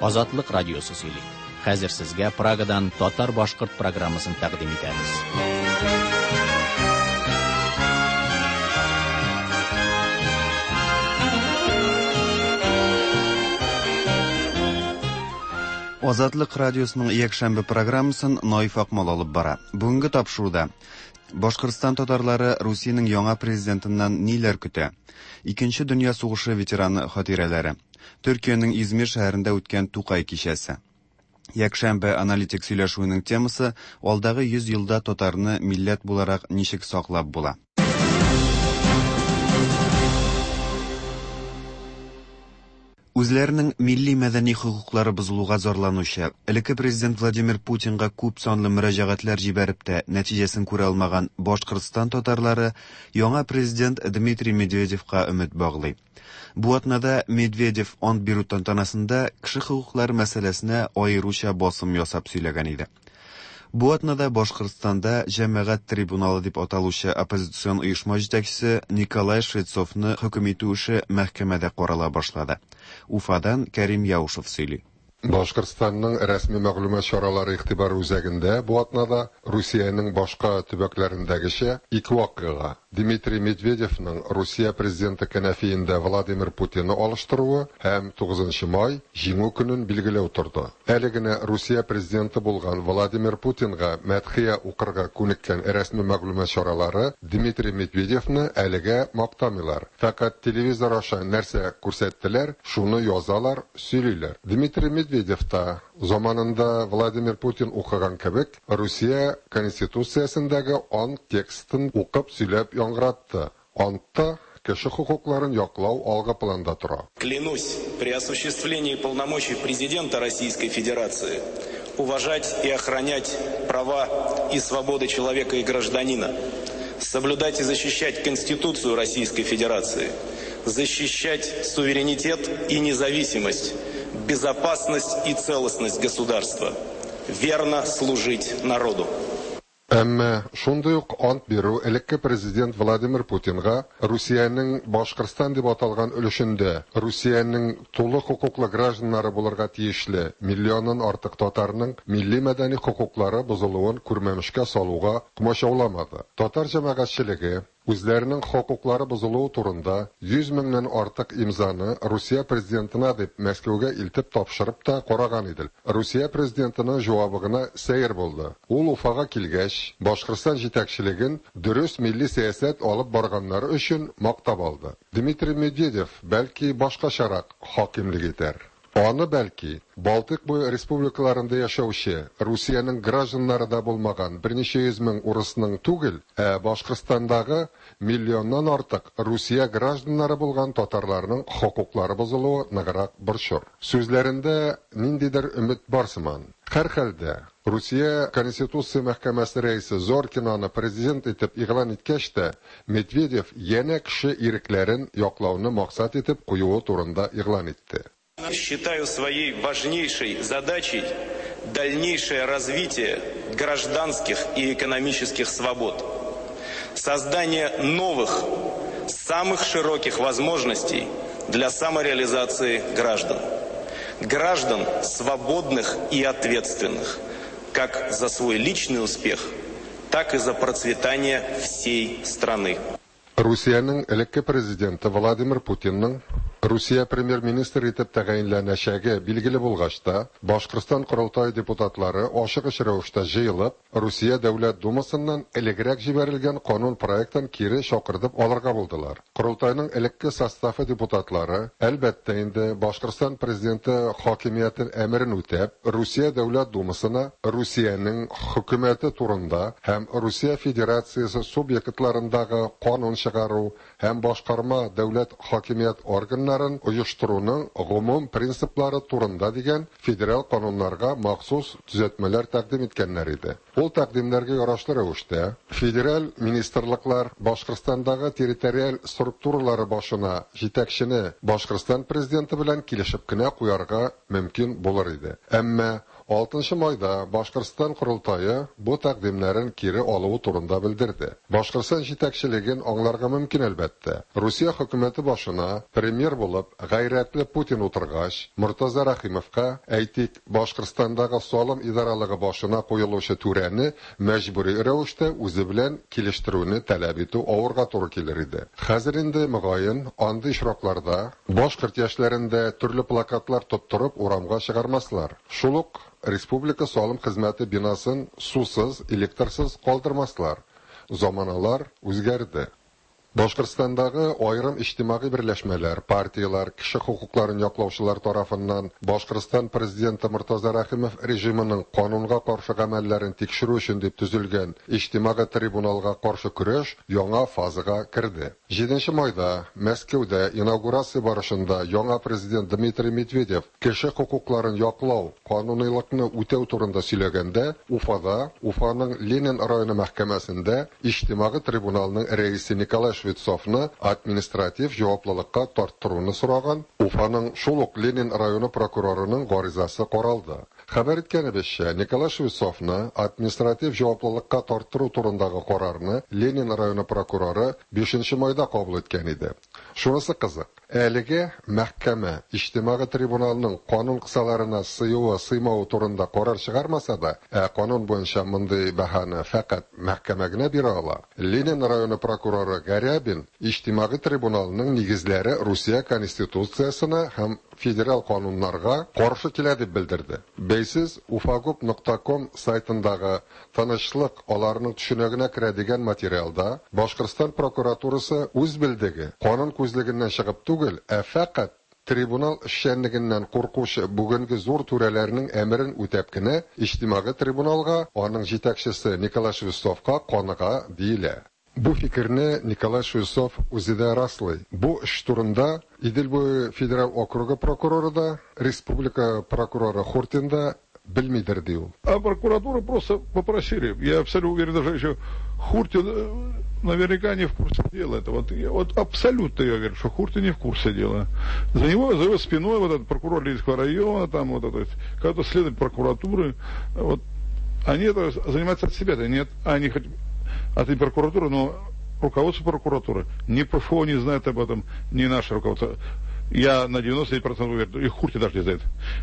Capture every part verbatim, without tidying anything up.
Азатлык радиосы сөйли. Хәзер сезгә Прагадан татар-башкорт программасын тәкъдим итәбез. Азатлык радиосының якшәмбе программасын Наиф Акмал алып бара. Бүгенге тапшыруда Башкортстан татарлары Русиянең яңа президентыннан ниләр көтә? Икенче дөнья сугышы ветераны хатирәләре. Төркиянең Измир шәһәрендә үткән Тукай кичәсе. Якшәмбе аналитик сөйләшүенең темасы алдагы йөз елда татарны милләт буларак ничек саклап була? Үзләренең милли мәдәни хокуклары бозылуга зарланучы, элекке президент Владимир Путинга күп санлы мөрәҗәгатьләр җибәреп тә нәтиҗәсен күрә алмаган Башкортстан татарлары яңа президент Дмитрий Медведевка өмет баглый. Бу атнада Медведев ант бирү тантанасында кеше хокуклары мәсьәләсенә аеруча басым ясап сөйләгән иде. Бу атнада Башкортстанда җәмәгать трибуналы дип аталучы оппозицион оешма җитәкчесе Николай Швецовны хөкем итү эше мәхкәмәдә карала башлады. Уфадан Кәрим Яушев сөйли. Башкортстанның рәсми мәгълүмат чаралары игътибары үзәгендә бу атнада Русиянең башка төбәкләрендәгечә ике вакыйга: Дмитрий Медведевның Русия президенты кәнәфиендә Владимир Путинны алыштыруы һәм тугызынчы май Җиңү көнен билгеләү торды. Әле генә Русия президенты булган Владимир Путинга мәдхия укырга күнеккән рәсми мәгълүмат чаралары Дмитрий Медведевны әлегә мактамыйлар. Фәкать телевизор аша нәрсә күрсәттеләр, шуны язалар, сөйлиләр. Дмитрий Медведев та заманында Владимир Путин укыган кебек Русия Конституциясендәге ант текстын укып сөйләп яңгыратты. Антта кеше хокукларын яклау алгы планда тора. Клянусь при осуществлении полномочий президента Российской Федерации уважать и охранять права и свободы человека и гражданина, соблюдать и защищать Конституцию Российской Федерации, защищать суверенитет и независимость, безопасность и целостность государства, верно служить народу. Әмма шундый ук ант бирү элекке президент Владимир Путинга Русиянең Башкортстан дип аталган өлешендә Русиянең тулы хокуклы гражданнары булырга тиешле миллионнан артык татарның милли мәдәни хокуклары бозылуын күрмәмешкә салуга комачауламады. Татар җәмәгатьчелеге үзләренең хокуклары бозылуы турында йөз меңнән артык имзаны Русия президентына дип Мәскәүгә илтеп тапшырып та караган иде. Русия президентының җавабы гына сәер булды. Ул Уфага килгәч, Башкортстан җитәкчелеген дөрес милли сәясәт алып барганнары өчен мактап алды. Дмитрий Медведев бәлки башкачарак хакимлек итәр. Аны бәлки Балтык буе республикаларында яшәүче Русиянең гражданнары да булмаган берничә йөз мең урысның түгел, ә Башкортстандагы миллионнан артык Русия гражданнары булган татарларның хокуклары бозылуы ныграк борчыр. Сүзләрендә ниндидер өмет бар сыман. Һәрхәлдә Русия Конституция мәхкәмәсе рәисе Зоркинаны президент итеп игълан иткәч тә, Медведев янә кеше ирекләрен яклауны максат итеп куюы турында игълан итте. Считаю своей важнейшей задачей дальнейшее развитие гражданских и экономических свобод, создание новых, самых широких возможностей для самореализации граждан. Граждан свободных и ответственных, как за свой личный успех, так и за процветание всей страны. Русиянең элекке президенты Владимир Путинның Русия премьер-министр итеп тәгаенләнәчәге билгеле булгач та, Башкортстан Корылтай депутатлары ашыгыч рәвештә җыелып, Русия Дәүләт Думасыннан элегрәк җибәрелгән канун проектын кире чакыртып алырга булдылар. Корылтайның элекке составы депутатлары, әлбәттә инде, Башкортстан президенты хакимиятен әмерен үтәп, Русия Дәүләт Думасына Русиянең хөкүмәте турында һәм Русия Федерациясе субъектларындагы канун чыгару һәм башкарма дәүләт хакимият органнары оештыруның гомум принциплары турында дигән федераль кануннарга махсус төзәтмәләр тәкъдим иткәннәр иде. Ул тәкъдимнәргә ярашлы рәвештә федераль министрлыклар Башкортстандагы территориаль структуралары башына җитәкчене Башкортстан президенты белән килешеп кенә куярга мөмкин булыр иде. Әмма Алтынчы майда Башкортстан Корылтае бу тәкъдимнәрен кире алуы турында белдерде. Башкортстан җитәкчелеген аңларга мөмкин, әлбәттә. Русия хөкүмәте башына премьер булып гайрәтле Путин утыргач, Мортаза Рәхимовка, әйтик, Башкортстандагы салым идаралыгы башына куелучы түрәне мәҗбүри рәвештә үзе белән килештерүне таләп итү авырга туры килер иде. Хәзер инде, мөгаен, андый очракларда башкорт яшьләрен дә төрле плакатлар тоттырып урамга чыгармаслар. Шул ук республика салым хезмәте бинасын сусыз, электрсыз калдырмаслар. Заманалар үзгәрде. Башкортстандагы аерым иҗтимагый берләшмәләр, партияләр, кеше хокукларын яклаучылар тарафыннан Башкортстан президенты Мортаза Рәхимов режимының канунга каршы гамәлләрен тикшерү өчен дип төзелгән иҗтимагый трибуналга каршы көрәш яңа фазага керде. Җиденче майда Мәскәүдә инаугурация барышында яңа президент Дмитрий Медведев кеше хокукларын яклау, кануныйлыкны үтәү турында сөйләгәндә, Уфада, Уфаның Ленин районы мәхкәмәсендә иҗтимагый трибуналның рәисе Николай Швецовны административ җаваплылыкка тарттыруны сораган Уфаның шул ук Ленин районы прокурорының гаризасы каралды. Хәбәр иткәнебезчә, Николай Швецовны административ җаваплылыкка тарттыру турындагы карарны Ленин районы прокуроры бишенче майда кабул иткән иде. Шунысы кызык, әлеге мәхкәмә иҗтимагый трибуналның канун кысаларына сыюы, сыймавы турында карар чыгармаса да, ә канун буенча мондый баһаны фәкать мәхкәмә генә бирә ала. Ленин районы прокуроры Гарябин иҗтимагый трибуналның нигезләре Русия конституциясенә һәм федераль кануннарга каршы килә дип белдерде. Бәйсез уфагуб нокта ком сайтындагы тынычлык аларның төшенегенә керә дигән материалда Башкортстан прокуратурасы үз белдеге канун күзлегеннән чыгып түгел, ә фәкать трибунал эшчәнлегеннән куркучы бүгенге зур түрәләрнең әмерен үтәп кенә иҗтимагый трибуналга, аның җитәкчесе Николай Швецовка каныга диелә. Бу фикерне Николай Швецов үзе дә раслый. Бу эш турында Идел буе федераль округы прокуроры да, республика прокуроры Хуртин да белмидер, ди ул. А прокуратуру просто попросили. Я абсолютно уверен, даже еще Хуртин наверняка не в курсе дела. Это вот, я, вот абсолютно я уверен, что Хуртин не в курсе дела. За него, за его спиной вот этот прокурор Ленинского района, там вот это, когда-то следователь прокуратуры, вот, они это занимаются от себя, да нет, они хоть от прокуратуры, но руководство прокуратуры, ни ПФО не знает об этом, ни наше руководство. Я на девяносто девять процентов уверен, и Хуртин даже не знает.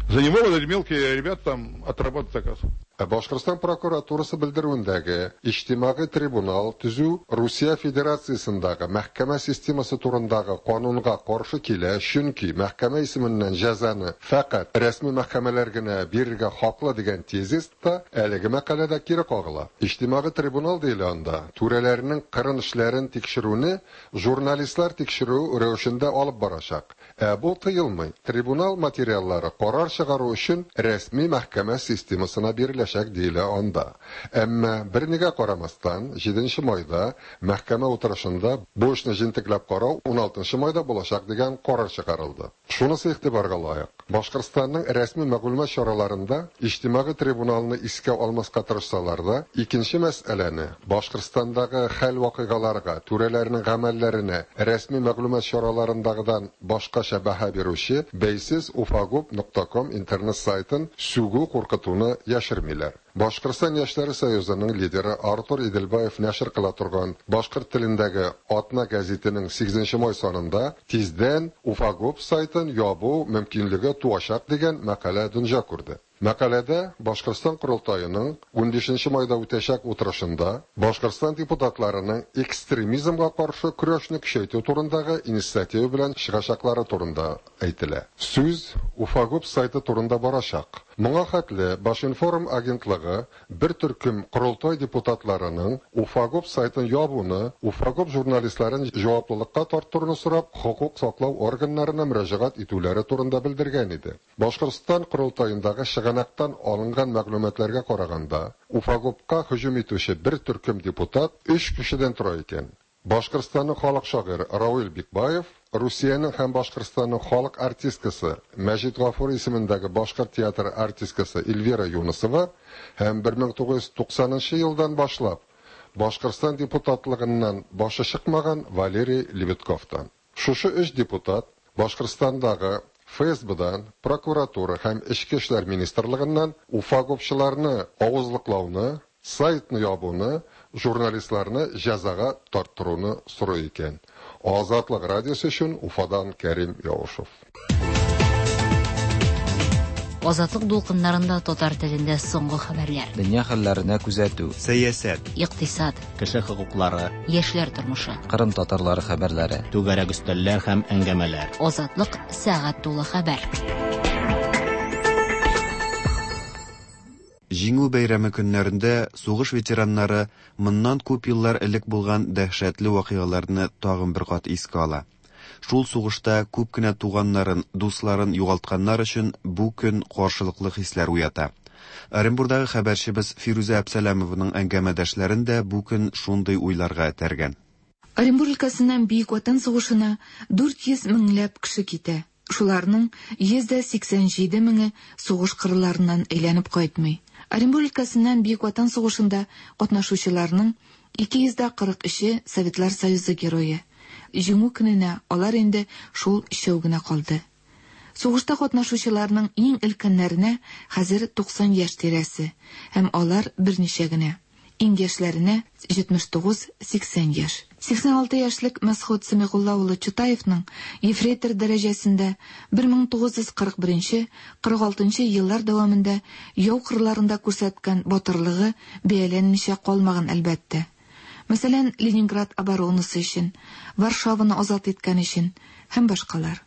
За него вот эти мелкие ребята там отрабатывают заказ. Башкортстан прокуратурасы белдерүендәге иҗтимагый трибунал төзү Русия Федерациясендәге мәхкәмә системасы турындагы канунга каршы килә, чөнки мәхкәмә исеменнән җәзаны фәкать рәсми мәхкәмәләр генә бирергә хаклы дигән тезис та әлеге мәкаләдә кире кагыла. Иҗтимагый трибунал диелә анда түрәләрнең кырын эшләрен тикшерүне журналистлар тикшерү рәвешендә алып барачак. Ә бу тыелмый. Трибунал материаллары карар чыгару өчен рәсми мәхкәмә системасына биреләчәк диелә анда. Әмма бернигә карамастан, җиденче майда мәхкәмә утырышында бу эшне җентекләп карау уналтынчы майда булачак дигән карар чыгарылды. Шунысы игътибарга лаек. Башкортстанның рәсми мәгълүмат чараларында иҗтимагый трибуналны искә алмаска тырышсалар да, икенче мәсьәләне Башкортстандагы хәл-вакыйгаларга, түрәләрнең гамәлләренә рәсми мәгълүмат чараларындагыдан башкача баһа бирүче бәйсез уфагуб нокта ком интернет сайтын сүгү куркытуны яшермиләр. Башкортстан Яшьләре Союзының лидеры Артур Иделбаев нәшер кыла торган башкорт телендәге Атна гәзитенең сигезенче май санында тиздән Уфагуб сайтын ябу мөмкинлеге туачак дигән мәкалә дөнья күрде. Мәкаләдә Башкортстан Корылтаеның унбишенче майда үтәчәк утырышында Башкортстан депутатларының экстремизмга каршы көрәшне көчәйтү турындагы инициатива белән чыгачаклары турында әйтелә. Сүз Уфагуб сайты турында барачак. Моңа хәтле Башинформ агентлыгы бер төркем Корылтай депутатларының Уфагуб сайтын ябуны, Уфагуб журналистларын җаваплылыкка тарттыруны сорап, хокук саклау органнарына мөрәҗәгать итүләре турында белдергән иде. Башкортстан Корылтаендагы чыганактан алынган мәгълүматларга караганда, Уфагубка һөҗүм итүче бер төркем депутат өч кешедән тора икән. Башкортстанның халык шагыйре Равил Бикбаев, Русиянең һәм Башкортстанның халык артисткасы Мәҗит Гафури исемендәге башкорт театры артисткасы Эльвира Юнысова һәм бер мең тугыз йөз туксанынчы елдан башлап Башкортстан депутатлыгыннан башы чыкмаган Валерий Лебедковтан. Шушы өч депутат Башкортстандагы ФСБдан, прокуратура һәм Эчке эшләр министрлыгыннан уфагопчыларны авызлыклауны, сайтны ябуны, журналистларны җәзага тарттыруны сорый икән. Азатлык радиосы өчен Уфадан Кәрим Яушев. Азатлык дулкыннарында татар телендә соңгы хәбәрләр. Дөнья хәлләренә күзәтү. Сәясәт. Икътисад. Кеше хокуклары. Яшьләр тормышы. Кырым татарлары хәбәрләре. Түгәрәк өстәлләр һәм әңгәмәләр. Азатлык сәгать тулы хәбәр. Җиңү бәйрәме көннәрендә сугыш ветераннары моннан күп еллар элек булган дәһшәтле вакыйгаларны тагын бер кат искә ала. Шул сугышта күп кенә туганнарын, дусларын югалтканнар өчен бу көн каршылыклы хисләр уята. Оренбурдагы хәбәрчебез Фирүзә Әпсәләмованың әңгәмәдәшләрен дә бу көн шундый уйларга этәргән. Оренбур өлкәсеннән Бөек Ватан сугышына дүрт йөз меңләп кеше китә. Шуларның йөз дә сиксән җиде меңе сугыш кырларыннан әйләнеп кайтмый. Оренбур өлкәсеннән Бөек Ватан сугышында катнашучыларның ике йөз дә кырык өче Советлар Союзы герое. Җиңү көненә алар инде шул өчәү генә калды. Сугышта катнашучыларның иң өлкәннәренә хәзер туксан яшь тирәсе, һәм алар берничә генә. Иң яшьләренә җитмеш тугыз сиксән яшь. Сиксән алты яшьлек Мәсхүт Сәмигулла улы Чутаевның ефрейтор дәрәҗәсендә бер мең тугыз йөз кырык беренче кырык алтынчы еллар дәвамында яу кырларында күрсәткән батырлыгы бәяләнмичә калмаган әлбәттә. Мәсәлән, Ленинград оборонасы өчен, Варшаваны азат иткән өчен һәм башкалар.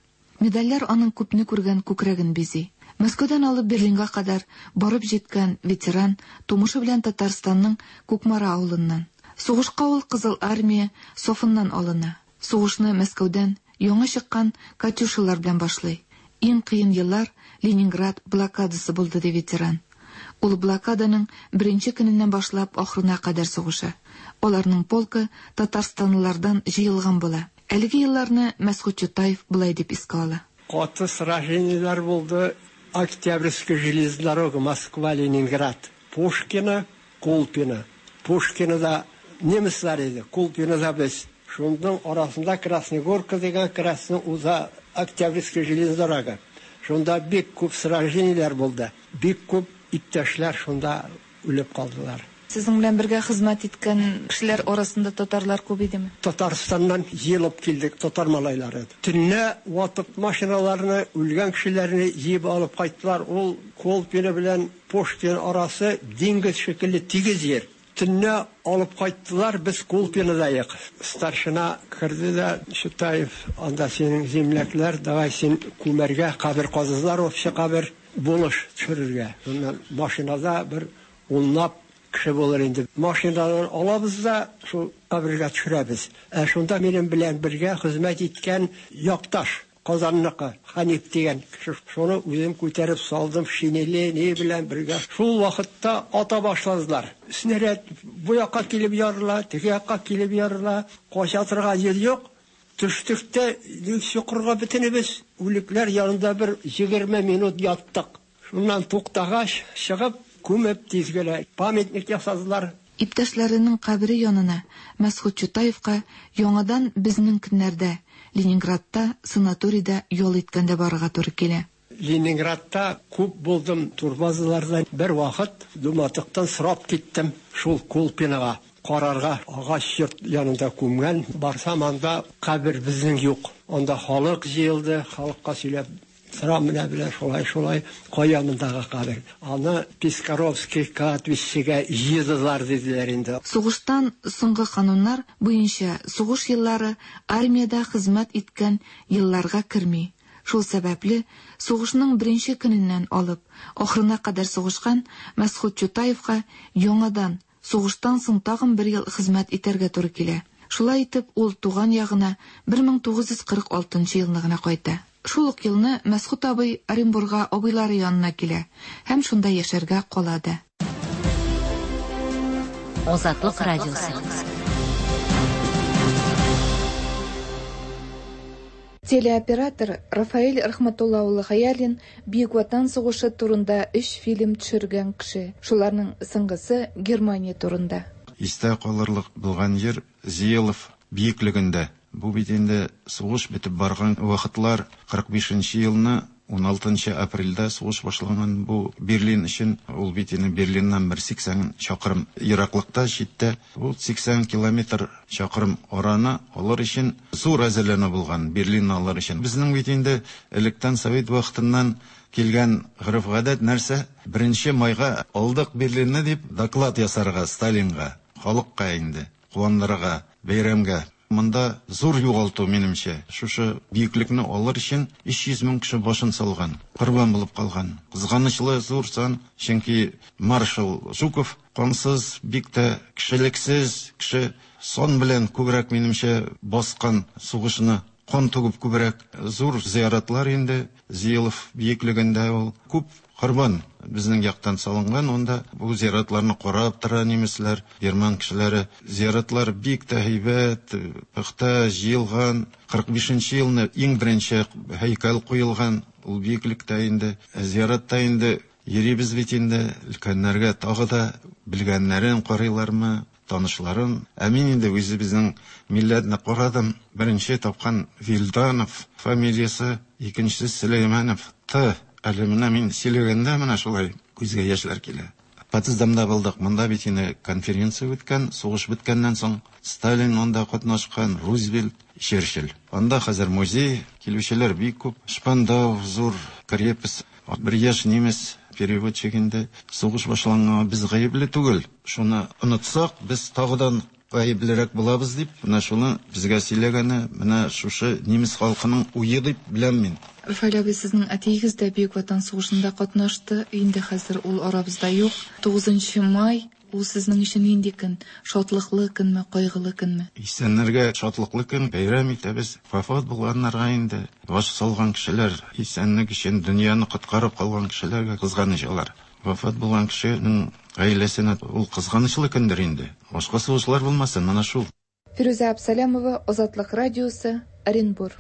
Медальләр аның күпне күргән күкрәген бизи. Мәскәүдән алып Берлинга кадәр барып җиткән ветеран тумышы белән Татарстанның Кукмара авылыннан. Сугышка ул Кызыл армия сафыннан алына. Сугышны Мәскәүдән яңа чыккан Катюшалар белән башлый. Иң кыен еллар Ленинград блокадасы булды, ди ветеран. Ул блокаданың беренче көненнән башлап ахырына кадәр сугыша. Аларның полкы татарстанлылардан җыелган була. Әлеге елларны Мәсхүт Чутаев былай дип искә ала. Каты сражениеләр булды. Октябрьская железная дорога Москва, Ленинград, Пушкино, Кулпино. Пушкинода немецлар иде, Кулпинода без. Шуның арасында Красная Горка дигән Красный уза Октябрьская железная дорога. Шунда бик күп сражениеләр булды. Бик күп иптәшләр шунда үлеп калдылар. Сезнең белән бергә хезмәт иткән кешеләр арасында татарлар күп идеме? Татарстаннан җыелып килдек, татар малайлары. Төнлә ватып машиналарны, үлгән кешеләрне җыеп алып кайттылар. Ул Колпино белән Пушкин арасы диңгез шикелле тигез җир. Төнлә алып кайттылар, без Колпинода Старшина керде дә, Чутаев, анда синең земляклар, давай син күмәргә кабер казызлар, общий кабер булыш төшерергә. Шуннан машинада бер унлап кеше булыр инде. Машинадан алабыз да шул кабергә төшерәбез. Ә шунда минем белән бергә хезмәт иткән якташ Казанныкы Ханиф дигән кеше, шуны үзем күтәреп салдым, шинеле ни белән бергә. Шул вакытта ата башладылар. Снаряд бу якка килеп ярыла, теге якка килеп ярыла, кача торган җир юк. Төштек тә чокырга бөтенебез үлекләр янында бер егерме минут яттык. Шуннан туктагач, чыгып күмеп тиз генә памятник ясадылар. Иптәшләренең кабере янына Мәсхүт Чутаевка яңадан безнең көннәрдә Ленинградта санаторийда ял иткәндә барырга туры килә. Ленинградта күп булдым, турбазаларда бер вакыт Думатыктан сорап киттем шул Колпинога карарга, агач йорт янында күмгән. Барсам, анда кабер безнең юк. Анда халык җыелды, халыкка сөйләп сорам менә белән шулай шулай кая мондагы кабер. Аны Пискаровский кладбищегә җыйдылар диделәр инде. Сугыштан соңгы кануннар буенча сугыш еллары армиядә хезмәт иткән елларга керми. Шул сәбәпле сугышның беренче көненнән алып ахырына кадәр сугышкан Мәсхүт Чутаевка яңадан сугыштан соң тагын бер ел хезмәт итәргә туры килә. Шулай итеп ул туган ягына бер мең тугыз йөз кырык алтынчы елны гына кайта. Шул ук елны Мәсхүт абый Оренбурга абыйлары янына килә һәм шунда яшәргә кала да. Азатлык радиосы. Телеоператор Рафаэль Рахматулла улы Хаялин Бөек Ватан сугышы турында өч фильм төшергән кеше. Шуларның соңгысы Германия турында. Истә калырлык булган җир Зиелов биеклегендә. Бу бит инде сугыш бетеп барган вакытлар, кырык бишенче елны Уналтынчы апрельдә сугыш башланган бу Берлин өчен. Ул бит инде Берлиннан бер сиксән чакрым ераклыкта, читтә. Ул сиксән километр чакрым араны алыр өчен зур әзерләнү булган Берлинны алыр өчен. Безнең бит инде электән совет вакытыннан килгән гореф-гадәт нәрсә? Беренче майга алдык Берлинны дип доклад ясарга Сталинга, халыкка инде, куандырырга, бәйрәмгә. Монда зур югалту, минемчә. Шушы бөеклекне алыр өчен өч йөз мең кеше башын салган, корбан булып калган. Кызганычлы зур сан, чөнки маршал Жуков кансыз, бик тә кешелексез кеше, сан белән күбрәк, минемчә, баскан сугышны, кан түгеп күбрәк. Зур зыяратлар инде Зиелов бөеклегендә ул күп корбан безнең яктан салынган. Онда бу зыяратларны карап тора немецләр, герман кешеләре. Зыяратлар бик тә һәйбәт, пөхтә җыелган. Кырык бишенче елны иң беренче һәйкәл куелган ул бөеклектә инде. Зыяратта инде йөрибез бит инде, өлкәннәргә тагы да белгәннәрен карыйлармы, танышларын. Ә мин инде үзебезнең милләтне карадым. Беренче тапкан Вилданов фамилиясе, икенчесе Сөләйманов Т. Әле менә мин сөйләгәндә менә шулай күзгә яшьләр килә. Потсдамда булдык. Монда бит инде конференция үткән, сугыш беткәннән соң Сталин монда катнашкан, Рузвельт, Черчилль. Анда хәзер музей, килүчеләр бик күп. Шпандау, зур крепость, бер яшь немец переводчик инде. Сугыш башланганга без гаепле түгел. Шуны онытсак, без тагыдан гаеплерәк булабыз дип, менә шуны безгә сөйләгәне, менә шушы немец халкының уе дип беләм мин. Рафаэль абый, сезнең әтиегез дә Бөек Ватан сугышында катнашты. Инде хәзер ул арабызда юк. Тугызынчы май ул сезнең өчен нинди көн? Шатлыклы көнме, кайгылы көнме? Исәннәргә шатлыклы көн, бәйрәм итәбез. Вафат булганнарга инде баш салган кешеләр, исәнлек өчен дөньяны коткарып калган кешеләргә кызганыч алар. Вафат булган кешенең гаиләсенә ул кызганычлы көндер инде. Башка сугышлар булмасын, менә шул. Фирүзә Абсалямова, Азатлык радиосы, Оренбур.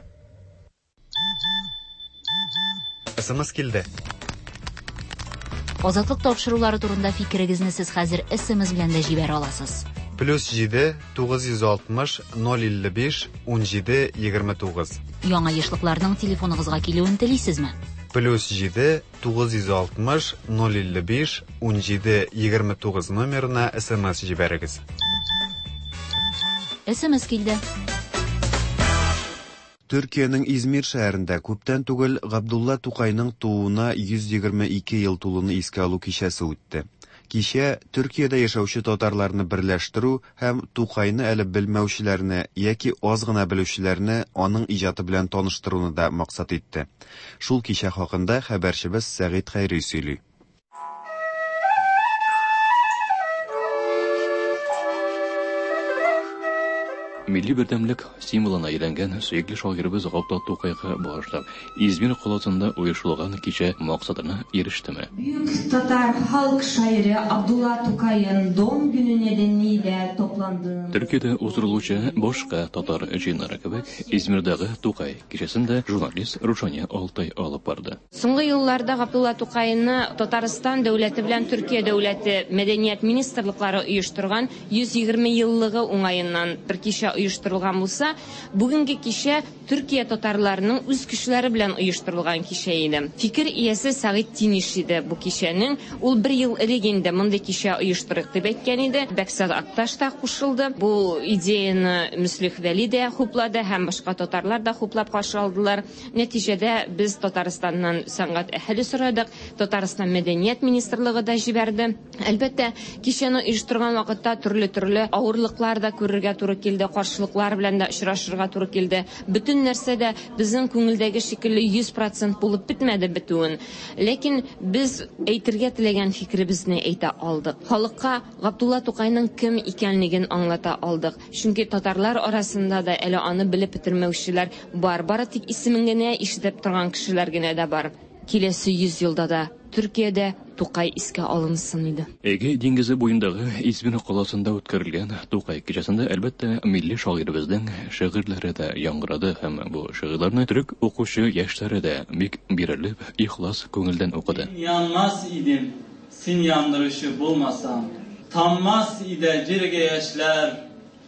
СМС килде. Азатлык тапшырулары турында фикерегезне сез хәзер СМС белән дә җибәрә аласыз. Плюс җиде, тугыз йөз алтмыш, ноль илле биш, ун җиде, егерме тугыз. Яңа ешлыкларның телефоныгызга килүен телисезме? Плюс җиде, тугыз йөз алтмыш, ноль илле биш, ун җиде, егерме тугыз номерына СМС җибәрегез. СМС килде. Төркиянең Измир шәһәрендә күптән түгел Габдулла Тукайның тууына йөз егерме ике ел тулуны искә алу кичәсе үтте. Кичә Төркиядә яшәүче татарларны берләштерү һәм Тукайны әле белмәүчеләрне яки аз гына белүчеләрне аның иҗаты белән таныштыруны да максат итте. Шул кичә хакында хәбәрчебез Сәгыйть Хәйри сөйли. Милли бердәмлек символына әйләнгән сөекле шагыйребез Габдулла Тукайга багышлап Измир каласында оешылган кичә максатына ирештеме? Бөек татар халык шагыйре Абдулла Тукайның doğum günü nedeniyle toplandığımız Төркиядә уздырылучы башка татар җыеннары кебек Измирдәге Тукай кичәсендә журналист Рушания Алтай алып барды. Соңгы елларда Габдулла Тукайны Татарстан дәүләте белән Төркия дәүләте мәдәният министрлыклары оештырган йөз егерме еллыгы уңаеннан бер кичә оештырылган булса, бүгенге кичә Төркия татарларының үз көчләре белән оештырылган кичә иде. Фикер иясе Сәгыйть Тиниш иде бу кичәнең. Ул бер ел элек инде мондый кичә оештырык дип әйткән иде. Бәксат Акташ та кушылды. Бу идеяны Мөслих Вәли дә хуплады һәм башка татарлар да хуплап каршы алдылар. Нәтиҗәдә без Татарстаннан сәнгать әһеле сорадык. Татарстан мәдәният министрлыгы да җибәрде. Әлбәттә, кичәне оештырган вакытта төрле-төрле авырлыклар да күрергә туры килде, каршылыклар белән дә очрашырга туры килде. Бөтен нәрсә дә безнең күңелдәге шикелле йөз процент булып бетмәде бетүен. Ләкин без әйтергә теләгән фикеребезне әйтә алдык. Халыкка Габдулла Тукайның кем икәнлеген аңлата алдык. Чөнки татарлар арасында да әле аны белеп бетермәүчеләр бар. Бары тик исемен генә ишетеп торган кешеләр генә дә бар. Киләсе йөз елда да Төркиядә Тукай искә алынсын иде. Эгей диңгезе буендагы Измир каласында үткәрелгән Тукай кичәсендә әлбәттә милли шагыйребезнең шигырьләре дә яңгырады һәм бу шигырьләрне төрек укучы яшьләре дә бик бирелеп, ихлас күңелдән укыды. Янмас идем, син яндырышы булмасам, таммас иде җиргә яшьләр,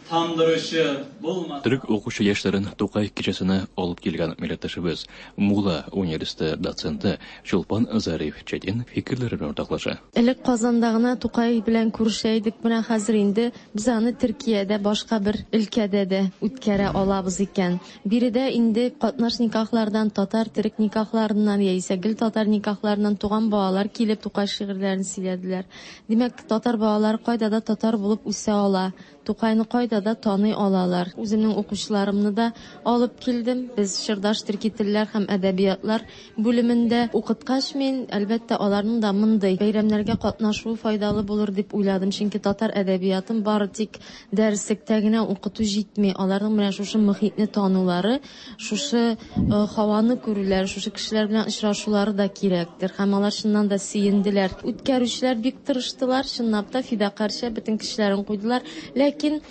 Тамдыручы булмаса. Төрек укучы яшьләрен Тукай кичәсенә алып килгән милләттәшебез Мула университеты доценты Чулпан Зариф Четин фикерләре белән уртаклаша. Элек Казанда гына Тукай белән күрешә идек, менә хәзер инде без аны Төркиядә башка бер өлкәдә дә үткәрә алабыз икән. Биредә инде катнаш никахлардан, татар төрек никахларыннан яисә гел татар никахларыннан туган балалар килеп Тукай шигырьләрен сөйләделәр. Димәк, татар балалары кайда да татар булып үсә ала. Тукайны кайда да таный алалар. Үземнең укучыларымны да алып килдем. Без Чырдаш төрки телләр һәм әдәбиятлар бүлемендә укыткач, мин, әлбәттә, аларның да мондый бәйрәмнәргә катнашуы файдалы булыр дип уйладым. Чөнки татар әдәбиятын бары тик дәреслектә генә укыту җитми. Аларның менә шушы мөхитне танулары, шушы һаваны күрүләре, шушы кешеләр белән очрашулары да кирәктер. Һәм алар чыннан да сөенделәр. Үткәрүчеләр бик тырыштылар, чынлап та фидакарча бөтен кешеләрен куйдылар. Ләкин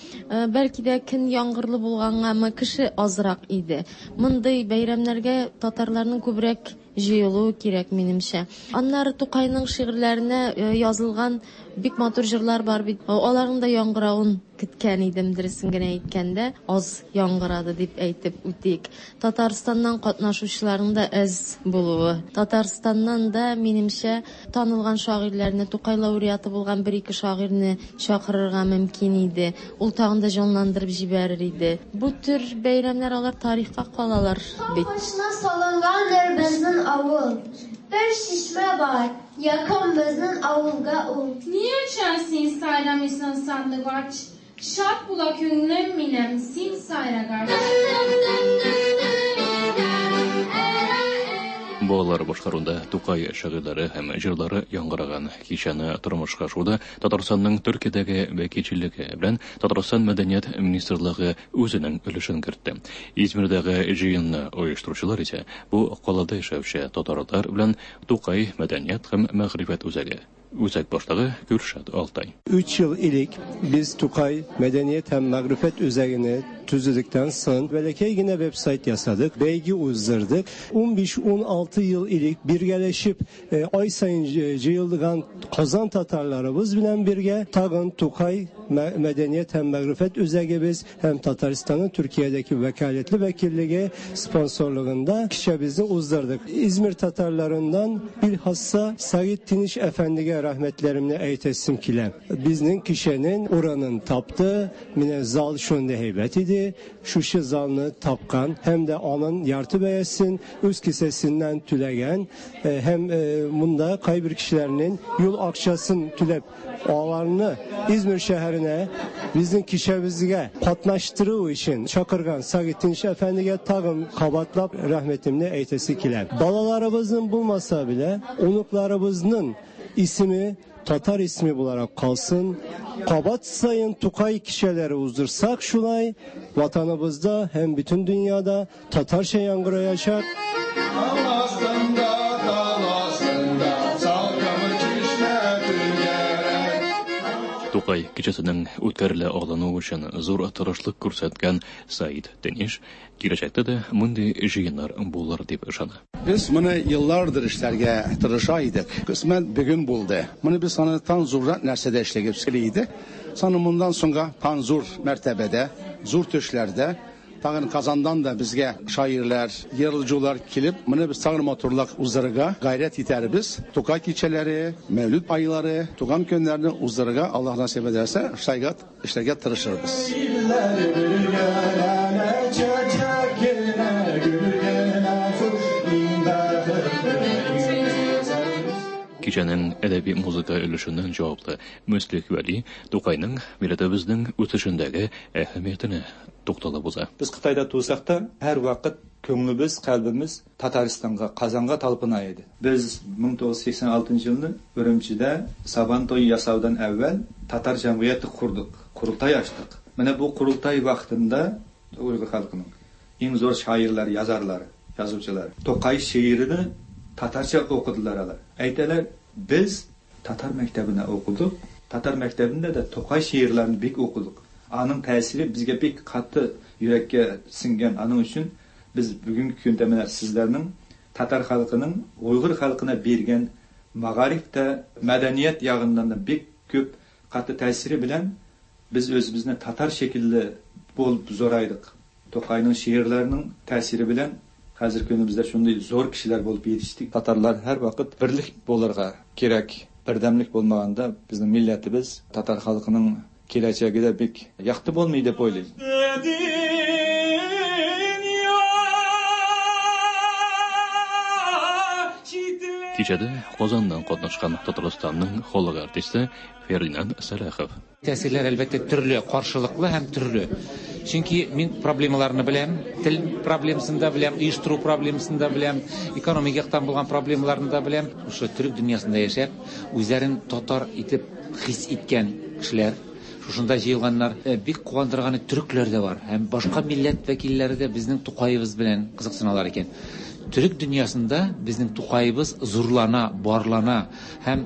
бәлки дә көн яңгырлы булгангамы, кеше азрак иде. Мондый бәйрәмнәргә татарларның күбрәк җыелуы кирәк минемчә. Аннары Тукайның шигырьләренә язылган бик матур җырлар бар бит. Аларның да яңгыравын көткән идем, дөресен генә әйткәндә, аз яңгырады дип әйтеп үтик. Татарстаннан катнашучыларның да әз булуы. Татарстаннан да минемчә танылган шагыйрьләрне, Тукай лауреаты булган бер-ике шагыйрьне чакырырга мөмкин иде. Ул тагын да җанландырып җибәрер иде. Бу төр бәйрәмнәр алар тарихка калалар бит. Башына салынгандыр безнең авыл. Бер шишмә бар, якын безнең авылга ул. Ни өчен син сайрамыйсың сандугач? Шат була күңлем минем, син сайрагач. Балалар башкаруында Тукай шигырьләре һәм җырлары яңгыраган кичәне тормышка ашыруда Татарстанның Төркиядәге вәкилчелеге белән Татарстан Мәдәният министрлыгы үзенең өлешен кертте. Измирдәге җыенны оештыручылар исә бу калада яшәүче татарлар белән Тукай мәдәният һәм мәгърифәт үзәге. Үзәк башлыгы Gürşat Altay. Üç yıl ilik biz Tukay Medeniyet hem Magrifet Üzerine tüzüdükten sonra belekey yine website yasadık, belge uzdırdık. on beş on altı yıl ilik birgeleşip e, ay sayın cıyıldıgan Kazan Tatarlarımız bilen birge tagın Tukay Medeniyet hem Magrifet Üzeri biz hem Tataristan'ın Türkiye'deki vekaletli vekilliği sponsorluğunda kişemizi uzdırdık. İzmir Tatarlarından bilhassa Said Tiniş Efendi'ye rahmetlerimle eytesim kile. Biznin kişinin oranın taptı, mine zal şunda heybet idi. Şuşu zalını tapkan hem de onun yartı beyesin, üst kisesinden tülegen hem bunda kaybır kişilerinin yol akçasın tülep ağlarını İzmir şehrine bizim kişemizge katlaştırığı için Çakırgan Said Tiniş Efendi'ye tağım kabatlap rahmetimle eytesi kile. Balalarımızın bulmasa bile onuklarımızın ismi Tatar ismi bularak kalsın. Kabat sayın Tukay kişileri uzdursak şulay vatanımızda hem bütün dünyada Tatarça yangırayacak. Тукай кичәсенең үткәрелә алынуы өчен зур тырышлык күрсәткән Саид Тениш киләчәктә дә мондый җыеннар булыр дип ышана. Biz bunu yıllardır işlerge tırışa idik. Kısmen bugün buldu. Bunu biz sana tan zurra nərsədə işləyib idi. Sana bundan sonra tan zur mərtəbədə, zur töşlərdə tağın Kazandan da bizge şairler, yarılıcılar kilip bunu biz tağın motorlak uzarıga gayret iter biz. Tukay keçeleri, mevlüt ayları, tugan könlerini uzarıga Allah nasip ederse şaygat işlerge tırışır biz. Кичәнең әдәби музыка өлешеннән җаваплы Мөслих Вәли Тукайның милләтебезнең үсешендәге әһәмиятенә тукталып уза. Без Кытайда тусак та һәр вакыт күңелебез, калбибез Татарстанга, Казанга талпына иде. Без мең тугыз йөз сиксән алтынчы елны Үрүмчидә Сабан туе ясаудан әүвәл татар җәмгыяте курдык, курултай ачтык. Менә бу курултай вакытында уйгыр халкының иң зур шагыйрьләре, язарлары, язучылары Тукай шигырен татарча оқыдылар алар. Әйтәләр, без татар мәктәбенә оқыдык. Татар мәктәбендә дә Тукай шигырьләрен бик оқыдык. Аның тәэсире безгә бик каты йөрәккә сеңгән. Аның өчен без бүгенге көндә менә сезләрнең татар халкының уйгыр халкына биргән мәгарифтә, мәдәният ягыннан да бик күп каты тәэсире белән Biz özümizni tatar şekilli bolup zoraydıq. Toqayның şiirlerinin təsiri bilan hozir kunimizda shunday zo'r kishilar bo'lib yetishdik. Tatarlar har vaqt birlik bo'larga kerak. Birdamlik bo'lmaganda bizning millatimiz, tatar xalqining kelajagida bek yaxshi bo'lmaydi deb o'ylayman. Кичәдә Казаннан катнашкан Татарстанның халык артисты Фердинанд Сәлахов. Тәэсирләр әлбәттә төрле, каршылыклы һәм төрле. Чөнки мин проблемаларны беләм, тел проблемасын да беләм, оештыру проблемасын да беләм, экономик яктан булган проблемаларны да беләм. Шушы төрек дөньясында яшәп, үзләрен татар итеп хис иткән кешеләр, шушында җыелганнар, бик куандырганы төрекләр дә бар һәм башка милләт вәкилләре дә безнең Тукаебыз белән кызыксыналар икән. Төрек дөньясында безнең Тукаебыз зурлана, барлана һәм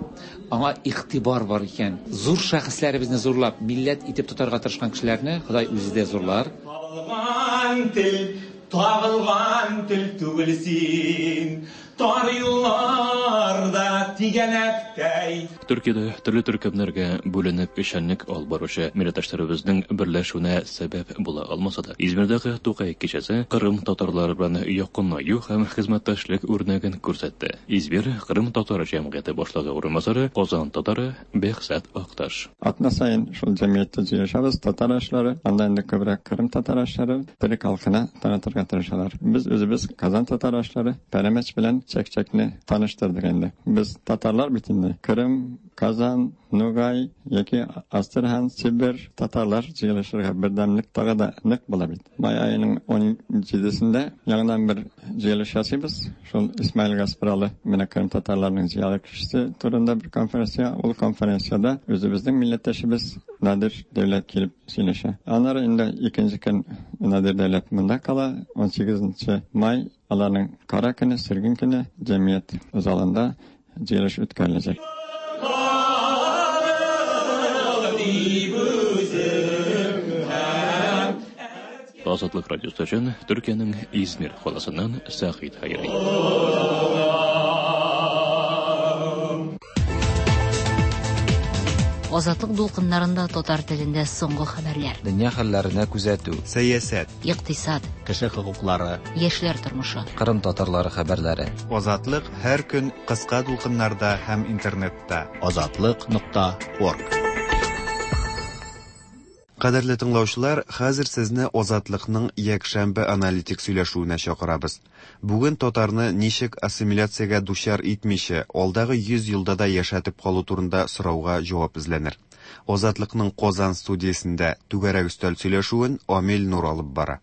аңа игътибар бар икән. Зур шәхесләребезне зурлап, милләт итеп тотарга тырышкан кешеләрне Ходай үзе дә зурлар. Табылган тел, табылган тел түгел син, тар юлларда тигәнәктәй. Төркиядә төрле төркемнәргә бүленеп эшчәнлек алып баручы милләттәшләребезнең берләшүенә сәбәп була алмаса да, Измирдәге Тукай кичәсе Кырым татарлары белән якынаю һәм хезмәттәшлек үрнәген күрсәтте. Измир Кырым татар җәмгыяте башлыгы урынбасары Казан татары Бехзат Акташ. Атна сайын шул җәмгыятьтә җыелышабыз, татар ашлары, анда инде күбрәк Кырым татар ашлары төрек халкына танытырга тырышалар. Без үзебез Казан татар ашлары пәрәмәч белән чәкчәкне таныштырдык инде. Без татарлар бит инде. Кырым, Казан, Нугай яки Астрахань, Сибир татарлар җыелышырга бердәмлек тагы да нык була бит. Май аеның ун җидесендә яңадан бер җыелыш ясыйбыз. Шул Исмаил Гаспралы менә Кырым татарларының зыялы кешесе турында бер конференция. Ул конференцияда үзебезнең милләттәшебез Надир Дәүләт килеп сөйләшә. Аннары инде икенче көн Надир Дәүләт монда кала. ун сигезенче май аларның кара көне, сөргүн көне җәмгыять залында җыелыш үткәреләчәк. Азатлык радиосы өчен Төркиянең Измир каласыннан Сәгыйть Хәйри. Азатлык дулкыннарында татар телендә соңгы хәбәрләр. Дөнья хәлләренә күзәтү, сәясәт, икътисад, кеше хокуклары, яшьләр тормышы, Кырым татарлары хәбәрләре. Азатлык һәр көн кыска дулкыннарда һәм интернетта. Азатлык нокта орг. Кадерле тыңлаучылар, хәзер сезне Азатлыкның якшәмбе аналитик сөйләшүенә чакырабыз. Бүген татарны ничек ассимиляциягә дучар итмичә, алдагы йөз елда да яшәтеп калу турында сорауга җавап эзләнер. Азатлыкның Казан студиясендә түгәрәк өстәл сөйләшүен Амил Нур алып бара.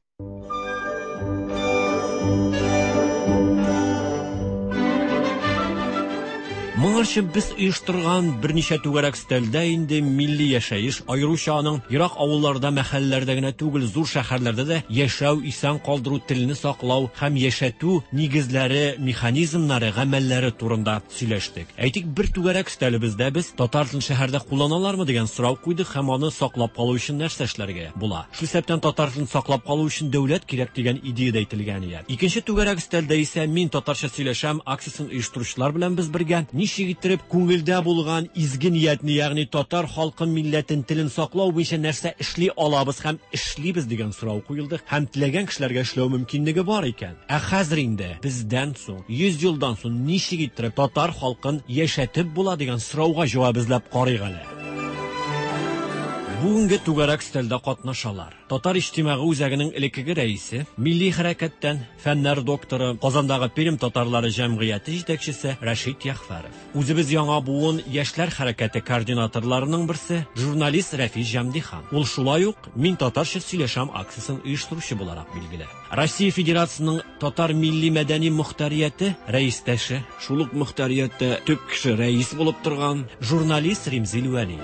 Моңарчы без оештырган берничә түгәрәк өстәлдә инде милли яшәеш, аеруча аның ерак авылларда, мәхәлләләрдә генә түгел, зур шәһәрләрдә дә яшәү, исән калдыру, телне саклау һәм яшәтү нигезләре, механизмнары, гамәлләре турында сөйләштек. Әйтик, бер түгәрәк өстәлебездә без татар телен шәһәрдә кулланалармы дигән сорау куйдык һәм аны саклап калу өчен нәрсә эшләргә була. Шул исәптән татар телен саклап калу өчен дәүләт кирәк дигән идея дә әйтелгән иде. Икенче түгәрәк өстәлдә исә мин татарча сөйләшәм акциясен оештыручылар белән без бергә ничек иттереп күңелдә булган изге ниятне, ягъни татар халкын, милләтен, телен саклау буенча нәрсә эшли алабыз һәм эшлибез дигән сорау куелды һәм теләгән кешеләргә эшләү мөмкинлеге бар икән. Ә хәзер инде бездән соң, йөз елдан соң ничек иттереп татар халкын яшәтеп була дигән сорауга җавап эзләп карыйк әле. Бүгенге түгәрәк өстәлдә катнашалар. Татар иҗтимагый үзәгенең элеккеге рәисе, милли хәрәкәттән фәннәр докторы, Казандагы Пермь татарлары җәмгыяте җитәкчесе Рәшит Яхфәров. Үзебез яңа буын яшьләр хәрәкәте координаторларының берсе, журналист Рәфис Җәмдихан. Ул шулай ук Мин татарча сөйләшәм акциясен оештыручы буларак билгеле. Россия Федерациясының татар милли мәдәни мөхтәрияте рәистәше, шул ук мөхтәрияттә төп кеше рәис булып торган журналист Римзил Вәли.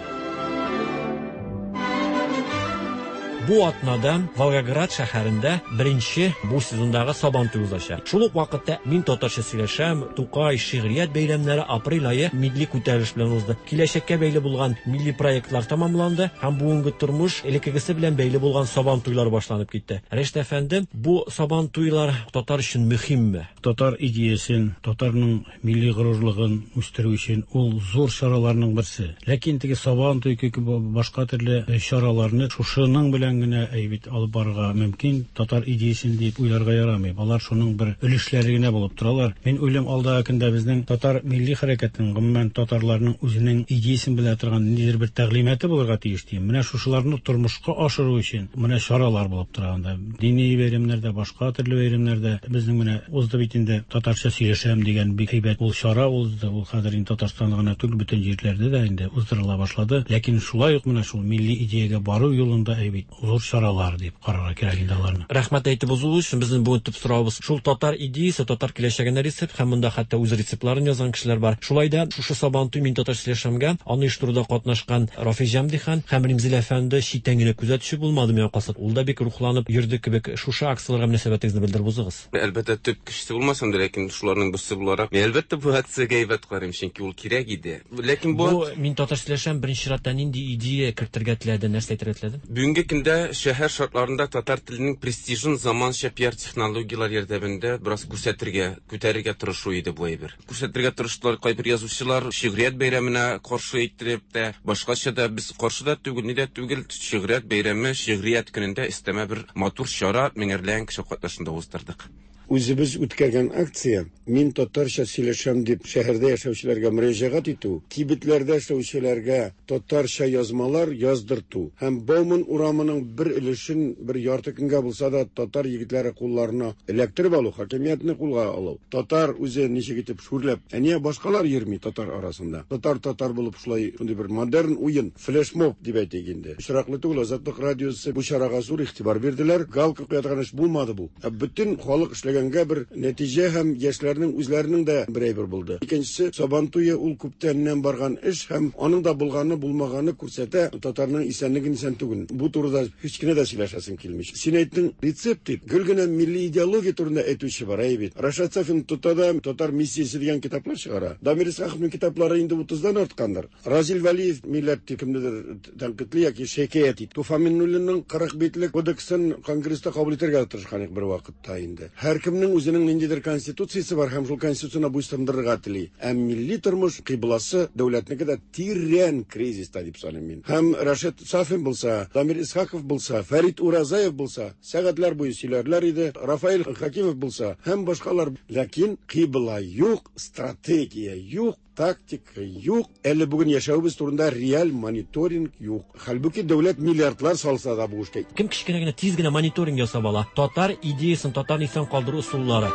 Бу атнада Волгоград шәһәрендә беренче бу сезондагы Сабантуй узачак. Шул ук вакытта мин татарча сөйләшәм, Тукай шигърият бәйрәмнәре апрель ае милли күтәрелеш белән узды. Киләчәккә бәйле булган милли проектлар тәмамланды һәм бүгенге тормыш элеккегесе белән бәйле булган Сабантуйлар башланып китте. Рәшит әфәнде, бу Сабантуйлар татар өчен мөһимме? Татар идеясен, татарның милли горурлыгын үстерү өчен ул зур чараларның берсе. Ләкин теге Сабантуй кебек башка төрле чараларны шушының белән генә әйбит алып барырга мөмкин, татар идеясен дип уйларга ярамый. Алар шуның бер өлешләре генә булып торалар. Мин уйлыйм, алдагы көндә безнең татар милли хәрәкәтенең, гомумән татарларның үзенең идеясен белә торган ниндидер бер тәгълиматы булырга тиеш дим. Менә шушыларны тормышка ашыру өчен менә чаралар булып тора анда. Дини бәйрәмнәрдә, башка төрле бәйрәмнәрдә безнең менә узды бит инде татарча сөйләшәм дигән бик әйбәт ул чара узды. Ул хәзер инде Татарстанда гына түгел, бөтен җирләрдә дә инде уздырыла башлады. Ләкин шулай ук менә шул милли идеягә бару юлында әйбәт зур чаралар дип карарга кирәк инде аларны. Рәхмәт әйтеп узу өчен безнең бүген төп соравыбыз шул татар идеясы, татар киләчәгенә рецепт һәм монда хәтта үз рецептларын язган кешеләр бар. Шулай да шушы Сабантуй мин татарча сөйләшәмгә аны оештыруда катнашкан Рафис Җәмдихан һәм Римзил әфәнде читтән генә күзәтүче булмады миңа калса. Ул да бик рухланып йөрде кебек. Шушы акцияләргә мөнәсәбәтегезне белдереп узыгыз. Әлбәттә, төп кешесе булмасам да, ләкин шуларның берсе буларак, мин әлбәттә бу акциягә әйбәт карыйм, чөнки ул кирәк иде. Ләкин бу Бу мин татарча сөйләшәм беренче чиратта нинди идея кертергә теләде, нәрсә әйтергә теләде? Бүгенге көндә шәһәр шартларында татар теленең престижын заманча пиар технологияләр ярдәмендә бераз күрсәтергә, күтәрергә тырышу иде бу әйбер. Күрсәтергә тырыштылар кайбер язучылар, шигърият бәйрәменә каршы әйттереп тә, башкача да без каршы да түгел, ни дә түгел, шигърият бәйрәме, шигърият көнендә өстәмә бер матур чара меңәрләгән кеше катнашында уздырдык. Үзебез үткәргән акция мин татарча сөйләшәм дип шәһәрдә яшәүчеләргә мөрәҗәгать итү, кибетләрдә эшләүчеләргә татарча язмалар яздырту һәм Бауман урамының бер өлешен бер ярты көнгә булса да татар егетләре кулларына эләктереп алу, хакимиятне кулга алу. Татар үзе ничек итеп шүрләп, ә нигә башкалар йөрми татар арасында? Татар татар булып шулай шундый бер модерн уен, флешмоб дип әйтик инде. Очраклы түгел, Азатлык радиосы бу чарага зур игътибар бирделәр. Галка куя торган эш булмады бу. Ә бөтен халык эшләгәнгә бер нәтиҗә һәм яшьләрнең үзләренең дә бер әйбер булды. Икенчесе, Сабантуе ул күптәннән барган эш һәм аның да булганы булмаганы күрсәтә татарның исәнлеген исән түгел. Бу турыда һич кенә дә сөйләшәсем килми. Син әйттең рецепт дип, гел генә милли идеология турында әйтүче бар, әй бит. Рашат Сафин тота да татар миссиясе дигән китаплар чыгара. Дамир Исхаковның китаплары инде утыздан арткандыр. Разил Вәлиев милләт дип кемнедер тәнкыйтьли яки шикаять итте. Туфан Миңнуллинның кырык битлек кодексын конгресста кабул итәргә тырышкан бер вакытта инде. Һәркемнең үзенең ниндидер конституциясе бар һәм шул конституцияне буйсындырырга тели. Ә милли тормыш кыйбласы дәүләтнеке дә тирән кризиста дип саныйм мин. Һәм Рашид Сафин булса, Дамир Исхаков булса, Фәрит Уразаев булса, сәгатьләр буе сөйләрләр иде. Рафаэль Хакимов булса һәм башкалар. Ләкин кыйбла юк, стратегия юк, тактика юк. Әле бүген яшәвебез турында реаль мониторинг юк. Хәлбуки дәүләт миллиардлар салса да бу эшкә. Кем кечкенә генә тиз генә мониторинг ясап ала? Татар идеясын, татарны исән калдыру ысуллары.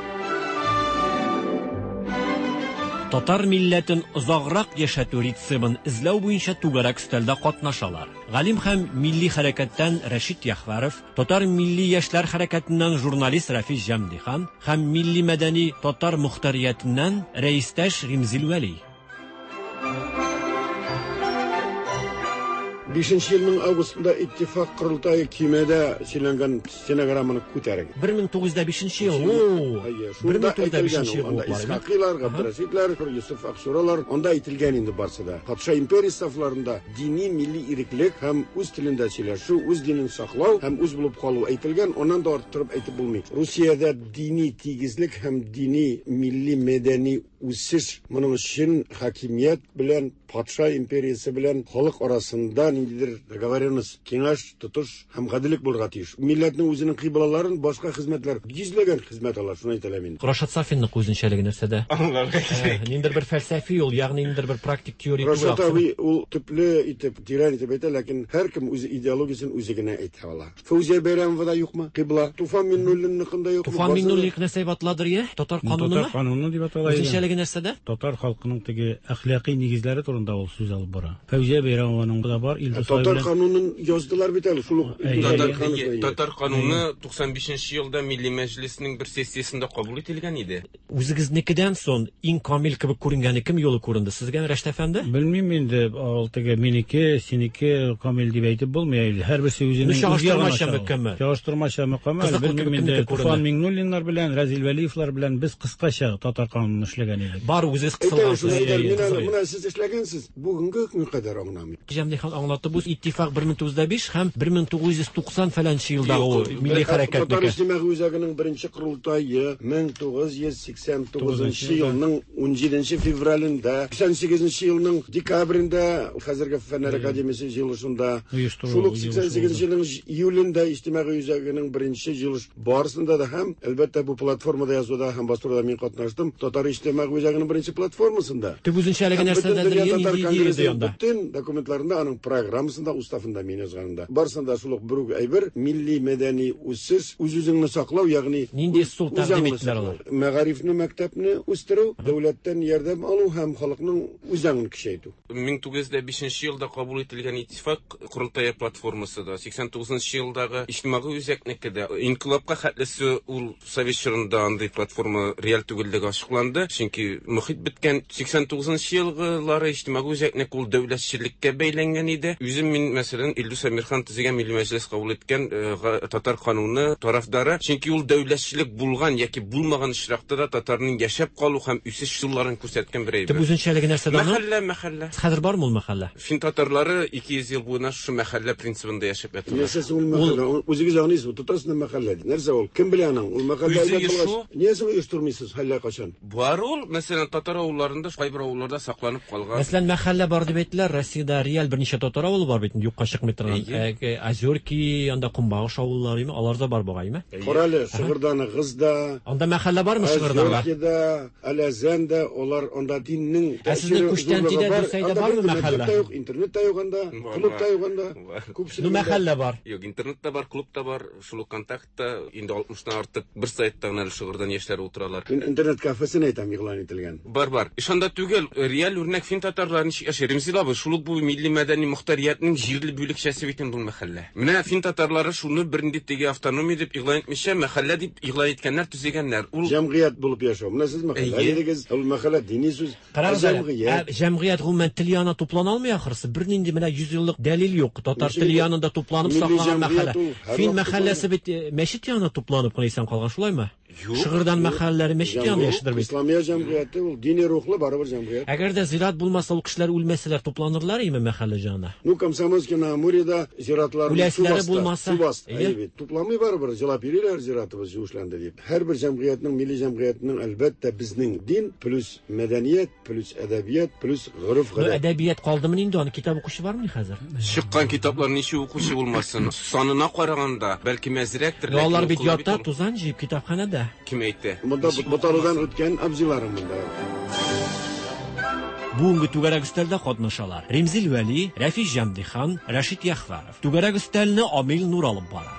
Татар милләтен озаграк яшәтү рецептын эзләү буенча түгәрәк өстәлдә катнашалар. Галим һәм милли хәрәкәттән Рәшит Яхваров, татар милли яшьләр хәрәкәтеннән журналист Рафис Җәмдихан һәм милли мәдәни татар мөхтәриятеннән рәистәш Римзил Вәли. Бишенче елның августында Иттифак корылтае кимәдә сөйләнгән стенограмманы күтәргән. бер мең тугыз йөз бишенче ел. бер мең тугыз йөз бишенче ел. Анда Исхакыйлар, Габдрәшитләр, Юсуф Аксуралар, анда әйтелгән инде барсы да. Патша империясе сафларында дини милли иреклек һәм үз телендә сөйләшү, үз динен саклау һәм үз булып калу әйтелгән, аннан да арттырып әйтеп булмый. Русиядә дини тигезлек һәм дини милли мәдәни үсеш моның өчен хакимият белән патша империясе белән халык арасында ниндидер договоренность, киңәш, тотыш һәм гаделлек булырга тиеш. Милләтнең үзенең кыйблаларын башка хезмәтләр, йөзләгән хезмәт ала, шуны әйтә алам инде. Рашат Сафинның үзенчәлеге нәрсәдә? Аңларга кирәк. Ниндидер бер фәлсәфи юл, ягъни ниндидер бер практик теория түгел. Рашат абый ул төпле итеп, тирән итеп әйтә, ләкин һәркем үз идеологиясен үзе генә әйтә ала. Фәүзия Бәйрәмова да юкмы? Кыйбла. Туфан Миңнуллинныкында юкмы? Туфан Миңнуллин нәрсә дип аталадыр, я? Татар канунымы? Татар кануны дип атала. Үзенчәлеге үзенчәлеге нәрсәдә? Татар халкының теге әхлакый нигезләре турында ул сүз алып бара. Фәүзия Бәйрәмованың да бар, Илдус Татар канунын яздылар бит әле, шул ук Татар, татар кануны туксан бишенче елда Милли Мәҗлеснең бер сессиясендә кабул ителгән иде. Үзегезнекедән соң иң камил кебек күренгәне кем юлы күренде сезгә, Рәшит әфәнде? Белмим инде, ул теге минеке, синеке камил дип әйтеп булмый. Һәрберсе үзенең чагыштырмача мөкәммәл. Чагыштырмача мөкәммәл. Белмим инде, Туфан Миңнуллиннар белән, Разил Вәлиевлар белән без кыскача татар канунын эшләгән идек. Бар үзегез кысылгансыз. Менә сез эшләгәнсез, бүгенге көнгә кадәр аңламыйм. Җәмдихан аңлатты, бу иттифак бер мең тугыз йөз биш һәм бер мең тугыз йөз туксан фәләнче елдагы милли хәрәкәтнеке. Татар иҗтимагый үзәгенең беренче корылтае мең тугыз йөз сиксән тугызынчы елның унҗиденче февралендә, сиксән сигезенче елның декабрендә хәзерге Фәннәр академиясе җыелышында, шул ук сиксән сигезенче елның июлендә иҗтимагый үзәгенең беренче җыелыш барысында да һәм әлбәттә бу платформада язуда һәм бастыруда мин катнаштым. Татар иҗтимагый үзәгенең беренче платформасында. Төп үзенчәлеге нәрсәдәдер? Нинди идея анда? Бөтен документларында, аның программасында, уставында мин язганында. Барысында шул ук бер үк әйбер: милли мәдәни үсеш, үз-үзеңне саклау, ягъни нинди ысул тәкъдим иттеләр алар? Мәгарифне, мәктәпне үстерү, дәүләттән ярдәм алу һәм халыкның үзаңын көчәйтү. мең тугыз йөз бишенче елда кабул ителгән иттифак корылтае платформасы да, сиксән тугызынчы елдагы иҗтимагый үзәкнеке дә, инкыйлабка хәтлесе ул совет чорында андый платформа реаль түгеллеге ачыкланды, чөнки мөхит беткән. Сиксән тугызынчы елгылары иҗтимагый үзәкнеке ул дәүләтчелеккә бәйләнгән иде. Үзем мин, мәсәлән, Илдус Әмирхан төзегән Милли Мәҗлес кабул иткән татар кануны тарафдары, чөнки ул дәүләтчелек булган яки булмаган очракта да татарның яшәп калу һәм үсеш юлларын күрсәткән бер әйбер. Төп үзенчәлеге нәрсәдә аның? Мәхәллә, мәхәллә. Хәзер бармы ул мәхәллә? Фин татарлары ике йөз ел буена шушы мәхәллә принцибында яшәп яталар. Нәрсә ул мәхәллә? Үзегез аңлыйсызмы? Тотасыз мәхәллә. Нәрсә ул? Кем белә аның? Ул мәхәллә булгач, ниясен оештырмыйсыз әллә кайчан? Бар ул, мәсәлән, татар авылларында, кайбер авылларда сакланып калган. Мәсәлән, мәхәллә бар дип әйттеләр. Россиядә реаль берничә татар авылы бар бит, юкка чыкмый торган. Озерки, анда Кумбагыш авыллары, аларда бар бугаймы? Карале, Шыгырданыгыз да. Анда мәхәллә бармы Шыгырданда? Озеркида, Әләзәндә, алар анда диннең Ә сезнең Күчтәнтидә, Дүрсәйдә бармы мәхәллә? Мәктәп тә юк, интернет та юк анда, клуб та юк анда. Ну, мәхәллә бар. Юк, интернет та бар, клуб та бар, шул ук контактта инде алтмыштан артык бер сайтта гына әле Шыгырдан яшьләре утыралар. Мин интернет кафесын әйтәм, игълан ителгән. Бар, бар. Ишанда түгел, реаль үрнәк фин татарлары ничек яши. Ремзил абый, шул ук бу милли мәдәни мохтариятның җирле бүлекчәсе бит инде бу мәхәллә. Менә фин татарлары шуны бернинди теге автономия дип игълан итмичә, мәхәллә дип игълан иткәннәр, төзегәннәр. Ул җәмгыять булып яшәү. Менә сез мәхәллә дидегез, ул мәхәллә дини сүз. Җәмгыять. Җәмгыять гомумән тел янына туплана алмый ахрысы. Бернинди менә йөз еллык дәлил юк. Татар теле янында тупланып сакланган мәхәллә. Фин мәхәлләсе бит мәчет янына тупланып кына исән калган, шулаймы? Шыгырдан мәхәлләре мәчет янында яшидер бит. Исламия җәмгыяте ул дини рухлы барыбер җәмгыять. Әгәр дә зират булмаса, ул кешеләр үлмәсәләр тупланырлар име мәхәллә янына? Ну, Комсомольский на Амуреда зиратлар үләселәре булмаса, әйе бит. Тупламый барыбер, җылап йөриләр зиратыбыз юешләнде дип. Һәрбер җәмгыятьнең, милли җәмгыятьнең әлбәттә безнең дин плюс мәдәният плюс әдәбият плюс гореф-гадәт. Әдәбият калдымы инде, аны китап укучы бармы хәзер? Чыккан китаплар ничә укучы булмасын, санына караганда бәлки мәзрәктер. Алар бит ята тузан җыеп китапханәдә. Кем әйтте? Монда боталудан үткән абзыйларым монда. Бүгенге түгәрәк өстәлдә катнашалар: Ремзил Вәли, Рәфис Җәмдихан, Рәшит Яхваров. Түгәрәк өстәлне Амил Нур алып бара.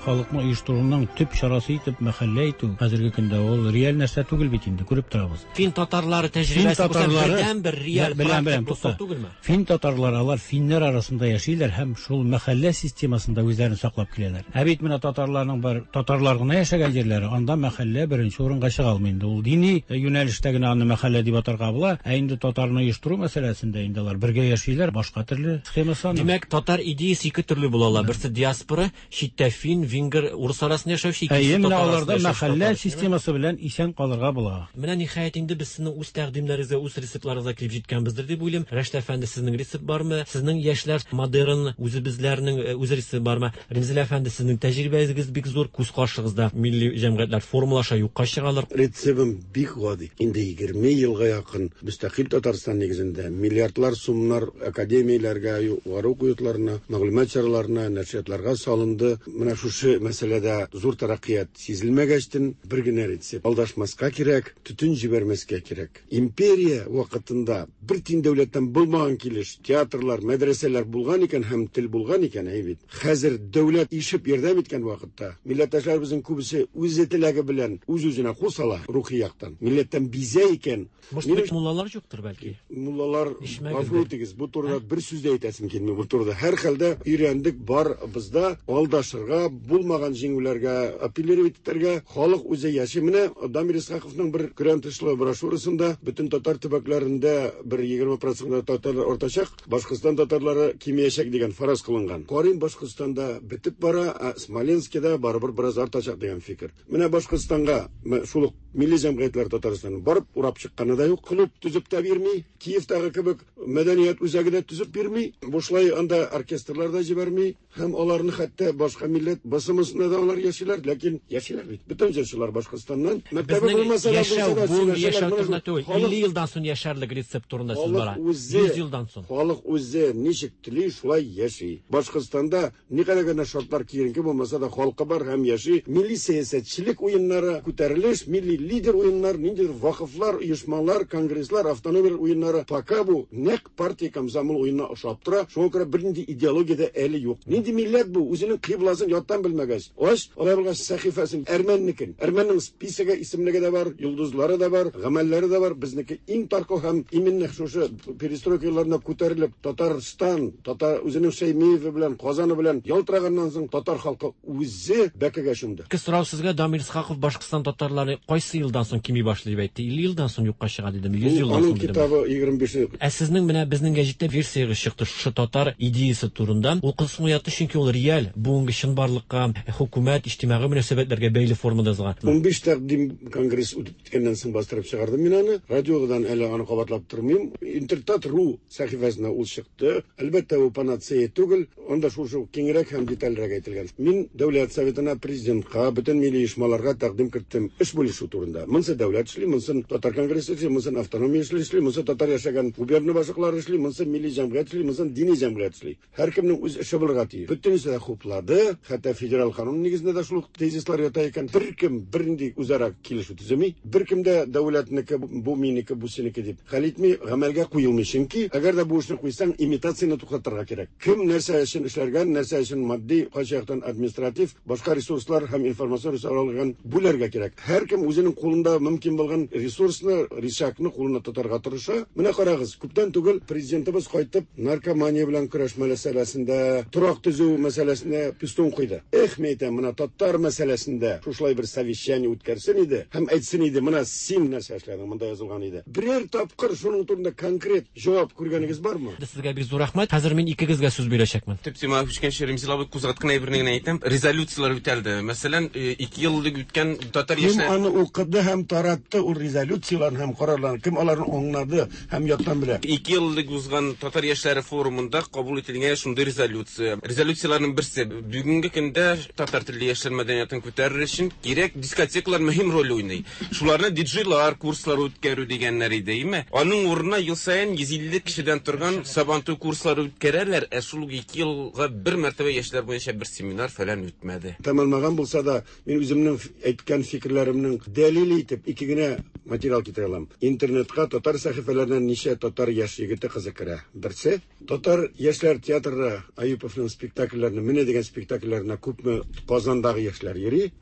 Халыкны оештыруның төп чарасы итеп мәхәллә итү хәзерге көндә ул реаль нәрсә түгел бит инде, күреп торабыз. Фин татарлары тәҗрибәсе бердән бер реаль практик булса түгелме? Фин татарлары алар финнәр арасында яшиләр һәм шул мәхәллә системасында үзләрен саклап киләләр. Ә бит менә татарларның бар татарлар гына яшәгән җирләре, анда мәхәллә беренче урынга чыга алмый инде. Ул дини юнәлештә генә аны мәхәллә дип атарга була, ә инде татарны оештыру мәсьәләсендә инде алар бергә яшиләр, башка төрле схемасы. Димәк, татар идеясы ике төрле була ала. Берсе диаспора, читтә фин, венгер, урыс арасында яшәүче, икенчесе татар аларда мәхәллә системасы белән исән калырга була. Менә ниһаять инде без сезнең үз тәкъдимнәрегезгә, үз рецептларыгызга килеп җиткәнбездер дип уйлыйм. Рәшит әфәнде, сезнең рецепт бармы? Сезнең яшьләр модерн үзебезләрнең үз рецепты бармы? Ремзил әфәнде, сезнең тәҗрибәгез бик зур, күз каршыгызда милли җәмгыятьләр формалаша, юкка чыгалар. Рецептым бик гади. Инде егерме елга якын мөстәкыйль Татарстан нигезендә миллиардлар сумнар академияләргә, югары уку йортларына, мәгълүмат чараларына, нәшриятларга салынды. Менә шушы Шушы мәсьәләдә зур тәрәккыят сизелмәгәчтен бер генә рецепт: алдашмаска кирәк, төтен җибәрмәскә кирәк. Империя вакытында бер тин дәүләттән булмаган килеш театрлар, мәдрәсәләр булган икән һәм тел булган икән, әй бит. Хәзер дәүләт ишеп ярдәм иткән вакытта милләттәшләребезнең күбесе үзе теләге белән үз-үзенә кул сала рухи яктан. Милләттән бизә икән. Может, муллалар юктыр бәлки? Муллалар, гафу итегез, бу турыда бер сүз дә әйтәсем килми бу турыда. Һәр хәлдә өйрәндек, бар бездә алдашырга, булмаган җиңүләргә апеллировать итәргә, халык үзе яши. Менә Дамир Исхаковның бер көрән тышлы брошюрасында бөтен татар төбәкләрендә бер егерме процент татарлар артачак, Башкортстан татарлары кимиячәк дигән фараз кылынган. Карыйм, Башкортстанда бетеп бара, ә Смоленскида барыбер бераз артачак дигән фикер. Менә Башкортстанга шул ук милли җәмгыятьләр Татарстанның барып урап чыкканы да юк, клуб төзеп тә бирми, Киевтагы кебек мәдәният үзәге дә төзеп бирми, бушлай анда оркестрлар да җибәрми, һәм аларны хәтта башка милләт басымысында да алар яшиләр, ләкин яшиләр бит. Бөтен җырчылар Башкортстаннан. Мәктәбе булмаса да булса да яшәү турында түгел, илле елдан соң яшәрлек рецепт турында сүз бара. йөз елдан соң. Халык үзе ничек тели, шулай яши. Башкортстанда никадәр генә шартлар киеренке булмаса да халкы бар һәм яши. Милли сәясәтчелек уеннары, күтәрелеш, милли лидер уеннар, ниндидер вакыфлар, оешмалар, конгресслар, автономияләр уеннары. Пока бу нәкъ партия комсомол уенына ошап тора. Шуңа күрә бернинди идеология дә әле юк. Нинди милләт бу? Үзенең кыйбласын яттан белмәгәч. Ач, алай булгач сәхифәсен әрмәннекен. Әрмәннең списогы, исемлеге дә бар, йолдызлары да бар, гамәлләре дә бар. Безнеке иң таркау һәм именно шушы перестройка елларында күтәрелеп Татарстан, татар үзенең Шәймиеве белән, Казаны белән ялтыраганнан соң татар халкы үзе бәкегә чумды. Ике сорау сезгә. Дамир Исхаков Башкортстан татарлары кайсы елдан соң кими башлый дип әйтте? илле елдан соң юкка чыга дидеме? йөз елдан соң дидеме? Аның китабы егерме биш. Ә сезнең менә безнең гәҗиттә версиягез чыкты шушы татар идеясы турында. Ул кызыксыну уятты, чөнки ул реаль, бүгенге чынбарлыкка, хөкүмәт, иҗтимагый мөнәсәбәтләргә бәйле формада язылган. Унбиш тәкъдим конгресс үтеп киткәннән соң бастырып чыгардым мин аны. Радиодан әле аны кабатлап тормыйм. Интертат ру сәхифәсенә ул чыкты. Әлбәттә, ул панацея түгел, анда шушы киңрәк һәм детальрәк әйтелгән. Мин Дәүләт Советына, президентка, бөтен милли оешмаларга тәкъдим керттем эш бүлешү турында. Монсы дәүләт эшли, монсын татар конгрессы эшли, монсын автономия эшли, монсы татар яшәгән губерна башлыклары эшли, монсы милли җәмгыять эшли, монсын дини җәмгыять эшли. Һәркемнең үз эше булырга тиеш. Бөтенесе дә хуплады, хәтта федераль канун нигезендә дә шул тезислар ята икән. Беркем бернинди үзара килешү төземи, беркем дә дәүләтнеке, бу минеке, бу синеке дип хәл итми, гамәлгә куелмый. Чөнки әгәр дә бу эшне куйсаң, имитацияне туктатырга кирәк. Кем нәрсә өчен эшләргән, нәрсә өчен матди, кайсы яктан административ, башка ресурслар һәм информацион ресурслар алган бүләргә кирәк. Һәркем үзенең кулында мөмкин булган ресурсны, рычагны кулына тотарга тырыша. Менә карагыз, күптән түгел президентыбыз кайтып наркомания белән көрәш мәсьәләсендә, торак төзү мәсьәләсендә пистон куйды. Эх, мен әйтәм, менә татар мәсьәләсендә шушылай бер совещание үткәрсен иде һәм әйтсен иде, менә син нәрсә эшләдең, монда язылган иде. Берәр тапкыр шуның турында конкрет җавап күргәнегез бармы? Сезгә бик зур рәхмәт. Хәзер мин икегезгә сүз бирәчәкмен. Төп темага күчкәнче, Ремзил абый кузгаткан әйберне генә әйтәм. Резолюцияләр үтәлде. Мәсәлән, ике ел элек үткән татар яшьләр Кем аны укыды һәм таратты ул резолюцияләрне һәм карарларны? Кем аларны аңлады һәм яттан белә? Ике ел элек узган татар яшьләре форумында кабул ителгән шундый резолюция. Резолюцияләрнең берсе бүгенге көндә татар телле яшьләр мәдәниятен күтәрер өчен кирәк дискотекалар мөһим роль уйный. Шуларны диджейлар курслары үткәрү дигәннәр иде, әйме? Аның урынына ел саен йөз илле кешедән торган Сабантуй курслары үткәрәләр, ә шул ике елга бер мәртәбә яшьләр буенча бер семинар фәлән үтмәде. Тәмамлаган булса да, мин үземнең әйткән фикерләремнең дәлиле итеп ике генә материал китерә алам. Интернетка татар сәхифәләреннән ничә татар яшь егете кызы керә. Берсе, татар яшьләр театры Аюповның спектакльләренә, менә дигән спектакльләренә күпме Казандагы яшьләр йөри.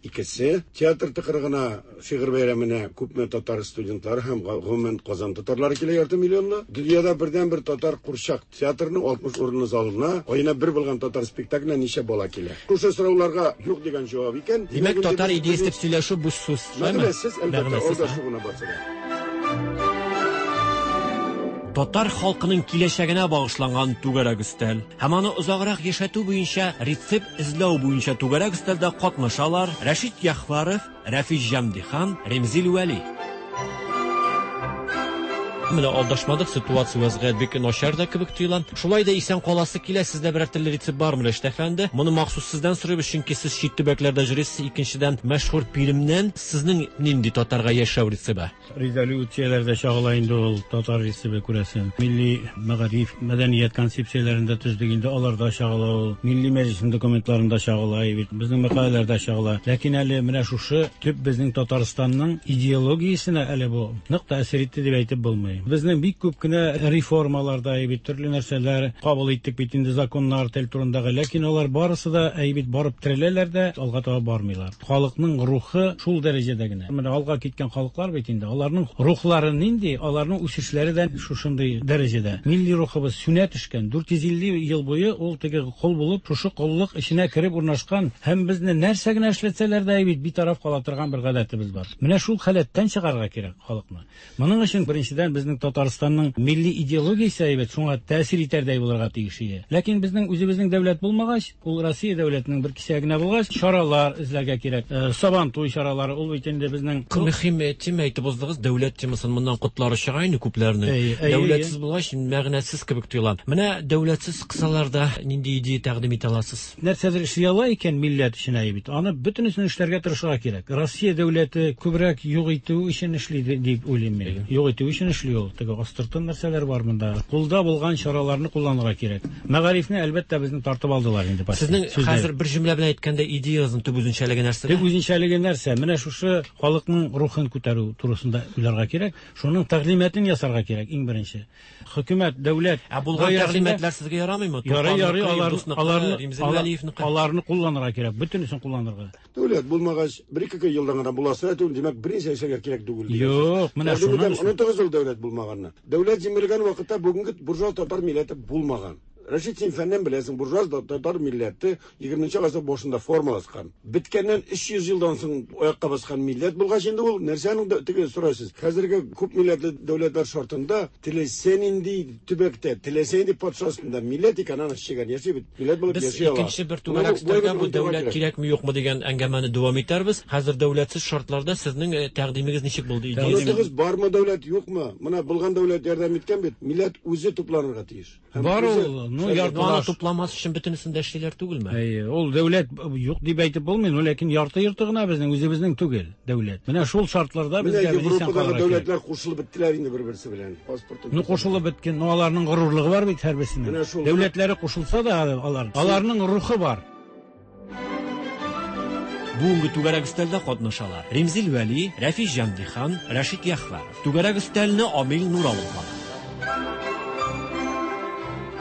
Икесе, театр тыкрыгына, шигырь бәйрәменә күпме татар студентлары һәм гомумән Казан татарлары килә, ярты миллионлы. Дөньяда бердән-бер татар курчак театрының алтмыш урынлы залына аена бер булган татар спектакленә ничә бала килә? Шушы сорауларга юк дигән җавап икән. Димәк, татар идеясы дип сөйләшү бу сүз. Мәгънәсез, әлбәттә, алдашу гына барса да. Татар халкының киләчәгенә багышланган түгәрәк өстәл һәм аны озаграк яшәтү буенча рецепт эзләү буенча түгәрәк өстәлдә катнашалар Рәшит Яхваров, Рәфис Җәмдихан, Ремзил Вәли. Менә алдашмадык, ситуация вазгыять бик начар да кебек тоела. Шулай да исән каласы килә, сездә берәр төрле рецепт бармы, Рәшит әфәнде? Моны махсус сездән сорыйбыз, чөнки сез чит төбәкләрдә йөрисез. Икенчедән, мәшһүр Пермьнән сезнең нинди татарга яшәү рецепты? Резолюцияләрдә чагыла инде ул татар рецепты, күрәсең. Милли мәгариф, мәдәният концепцияләрендә төздек инде, аларда чагыла ул. Милли мәҗлеснең документларында чагыла, бит безнең мәкаләләрдә чагыла. Ләкин әле менә шушы төп безнең Татарстанның идеологиясенә әле бу нык тәэсир итте дип әйтеп булмый. Безнең бик күп кенә реформаларда бит төрле нәрсәләр кабул иттек бит инде, законнар тел турындагы, ләкин алар барысы да бит барып тереләләр дә алга таба бармыйлар. Халыкның рухы шул дәрәҗәдә генә. Менә алга киткән халыклар бит инде, аларның рухлары нинди, аларның үсешләре дә шушындый дәрәҗәдә. Милли рухыбыз сүнә төшкән. дүрт йөз илле ел буе ул теге кол булып, шушы коллык эченә кереп урнашкан һәм безне нәрсә генә эшләтсәләр дә бит битараф кала торган бер гадәтебез бар. Менә шул халәттән чыгарга кирәк халыкны. Моның өчен беренчедән безнең Татарстанның милли идеологиясе әйбәт, шуңа тәэсир итәрдәй булырга тиеш иде. Ләкин безнең үзебезнең дәүләт булмагач, ул Россия дәүләтенең бер кисәгенә булгач, чаралар эзләргә кирәк. Сабантуй чаралары ул бит инде безнең мөһим тема әйтеп уздыгыз, дәүләт темасын моннан котлары чыга инде күпләрнең. Дәүләтсез булгач, мәгънәсез кебек тоела. Менә дәүләтсез кысаларда нинди идея тәкъдим итә аласыз? Нәрсәдер эшли ала икән милләт өчен әйбәт, аны бөтенесен эшләргә тырышырга кирәк. Россия дәүләте күбрәк юк итү өчен эшли дип уйлыйм мин. Юк итү өчен эшли ул. Теге астыртын нәрсәләр бар монда. Кулда булган чараларны кулланырга кирәк. Мәгарифне әлбәттә безнең тартып алдылар инде. Сезнең хәзер бер җөмлә белән әйткәндә идеягызның төп үзенчәлеге нәрсә? Төп үзенчәлеге нәрсә? Менә шушы халыкның рухын күтәрү турысында уйларга кирәк. Шуның тәгълиматын ясарга кирәк иң беренче. Хөкүмәт, дәүләт, ә булган тәгълиматлар сезгә ярамыймы? Ярый, ярый, аларны аларны кулланырга кирәк, бөтенесен кулланырга. Дәүләт булмагач, бер-ике елдан гына буласы түгел, димәк, берничә эшләргә кирәк түгел. Юк, менә шуны онытыгыз ул дәүләт булмаганны. Дәүләт җимерелгән вакытта бүгенге буржуаз татар милләте булмаган. Рәшит, син фәннән беләсең, буржуаз татар милләте егерменче гасыр башында формалашкан. Беткәннән өч йөз елдан соң аякка баскан милләт булгач инде ул нәрсәнең теге сорайсыз. Хәзерге күп милләтле дәүләтләр шартында теләсә нинди төбәктә, теләсә нинди патшасында милләт икән, аны чигән яши бит. Милләт булып яши ала. Без икенче бер түгәрәк өстәлгә бу дәүләт кирәкме юкмы дигән әңгәмәне дәвам итәрбез. Хәзер дәүләтсез шартларда сезнең тәкъдимегез ничек булды? Идеягез бармы, дәүләт юкмы? Менә булган дәүләт ярдәм иткән бит. Милләт үзе тупланырга тиеш. Бар ул. Ну, яртылаш тупламас өчен бөтенесен дә эшлиләр түгелме? Әйе, ул дәүләт юк дип әйтеп булмый, но ләкин ярты йорты гына безнең үзебезнең түгел дәүләт. Менә шул шартларда безгә Европадагы дәүләтләр кушылып беттеләр инде бер-берсе белән. Паспорт. Ну, кушылып беткән, но аларның горурлыгы бар бит һәрберсенең. Дәүләтләре кушылса да алар, аларның рухы бар. Бүгенге түгәрәк өстәлдә катнашалар Римзил Вәли, Рәфис Җәмдихан, Рәшит Яхваров. Түгәрәк өстәлне Амил Нур алып бара.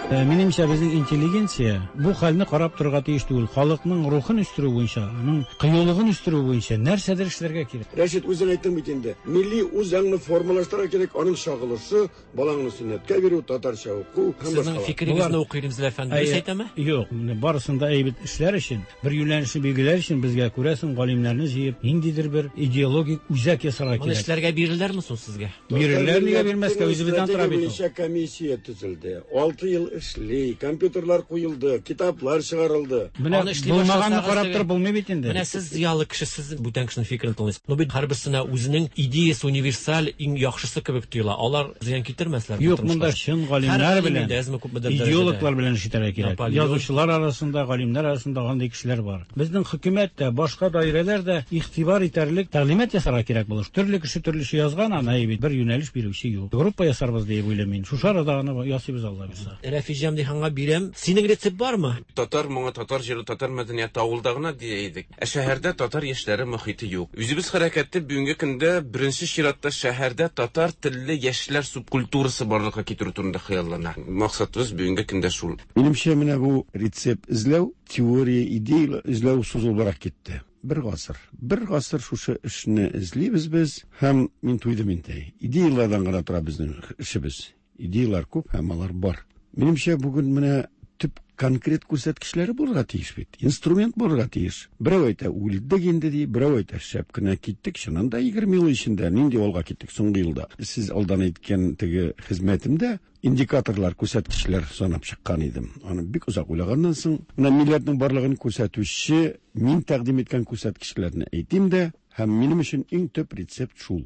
Минемчә, безнең интеллигенция бу хәлне карап торырга тиеш түгел. Халыкның рухын үстерү буенча, аның кыюлыгын үстерү буенча нәрсәдер эшләргә кирәк. Рәшит, үзең әйттең бит инде. Милли үз аңны формалаштырырга кирәк, аның чагылышы, балаңны сөннәткә бирү, татарча уку һәм башкалар. Сезнең фикерегезне укый Римзил әфәнде, дөрес әйтәме? Юк, менә барысын да әйбәт эшләр өчен, бер юнәлешне билгеләр өчен безгә күрәсең галимнәрне җыеп, ниндидер бер идеологик үзәк ясарга кирәк. Моны эшләргә бирелерме соң сезгә? Бирелер, нигә бирмәскә, үзебездән тора бит. Буенча комиссия төзелде. Алты ел эшли, компьютерлар куелды, китаплар чыгарылды. Менә булмаганны карап торып булмый бит инде. Менә сез зыялы кеше, сез бүтән кешенең фикерен тыңлыйсыз. Но бит һәрберсенә үзенең идеясы универсаль, иң яхшысы кебек тоела. Алар зыян китермәсләр. Юк, монда чын галимнәр белән, идеологлар белән эш итәргә кирәк. Язучылар арасында, галимнәр арасында андый кешеләр бар. Безнең хөкүмәт тә, башка даирәләр дә игътибар итәрлек тәгълимат ясарга кирәк булыр. Төрле кеше төрлечә язган, аны бит бер юнәлеш бирүче юк. Группа ясарбыз дип уйлыйм мин. Шушы арада аны ясыйбыз, Алла бирсә. Рәфис Җәмдиханга бирәм. Синең рецепт бармы? Татар моңы, татар җыры, татар мәдәнияте авылда гына дия идек. Ә шәһәрдә татар яшьләре мохите юк. Үзебез хәрәкәттә бүгенге көндә беренче чиратта шәһәрдә татар телле яшьләр субкультурасы барлыкка китерү турында хыяллана. Максатыбыз бүгенге көндә шул. Минемчә, менә бу рецепт эзләү, теория, идея эзләү сузылыбрак китте. Бер гасыр. Бер гасыр шушы эшне эзлибез без һәм мин туйдым инде. Идеялардан гына тора безнең эшебез. Идеялар күп һәм алар бар. Минемчә, бүген менә төп конкрет күрсәткечләре булырга тиеш бит. Инструмент булырга тиеш. Берәү әйтә, үлдек инде ди, берәү әйтә, шәп кенә киттек. Чыннан да егерме ел эчендә нинди алга киттек соңгы елда. Сез алдан әйткән теге хезмәтемдә индикаторлар, күрсәткечләр санап чыккан идем. Аны бик озак уйлаганнан соң, менә милләтнең барлыгын күрсәтүче мин тәкъдим иткән күрсәткечләрне әйтим дә, һәм минем өчен иң төп рецепт шул.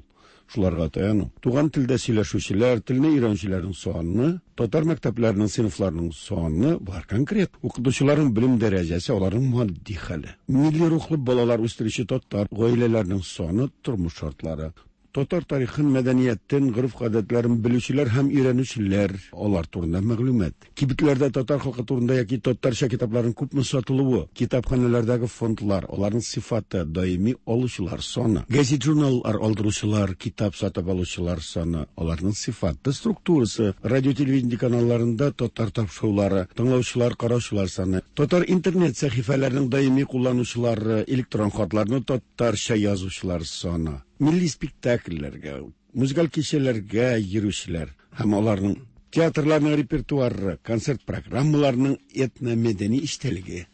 шуларга таяну. Туган телдә сөйләшүчеләр, телне өйрәнүчеләрнең саны, татар мәктәпләренең сыйныфларының саны бар конкрет. Укытучыларның белем дәрәҗәсе, аларның матди хәле. Милли рухлы балалар үстерүче татар гаиләләренең саны, тормыш шартлары. Татар тарихын, мәдәниятен, гореф-гадәтләрен белүчеләр һәм өйрәнүчеләр, алар турында мәгълүмат. Кибетләрдә татар халкы турында яки татарча китапларның күпме сатылуы, китапханәләрдәге фондлар, аларның сыйфаты, даими алучылар саны, газет-журналлар алдыручылар, китап сатып алучылар саны, аларның сыйфаты, структурасы, радио-телевидение каналларында татар тапшырулары, тыңлаучылар, караучылар саны, татар интернет сәхифәләренең даими кулланучылары, электрон хатларны татарча язучылар саны. Милли спектакльләргә, музыкаль кичәләргә йөрүчеләр һәм аларның театрларның репертуары, концерт программаларының этномәдәни эчтәлеге,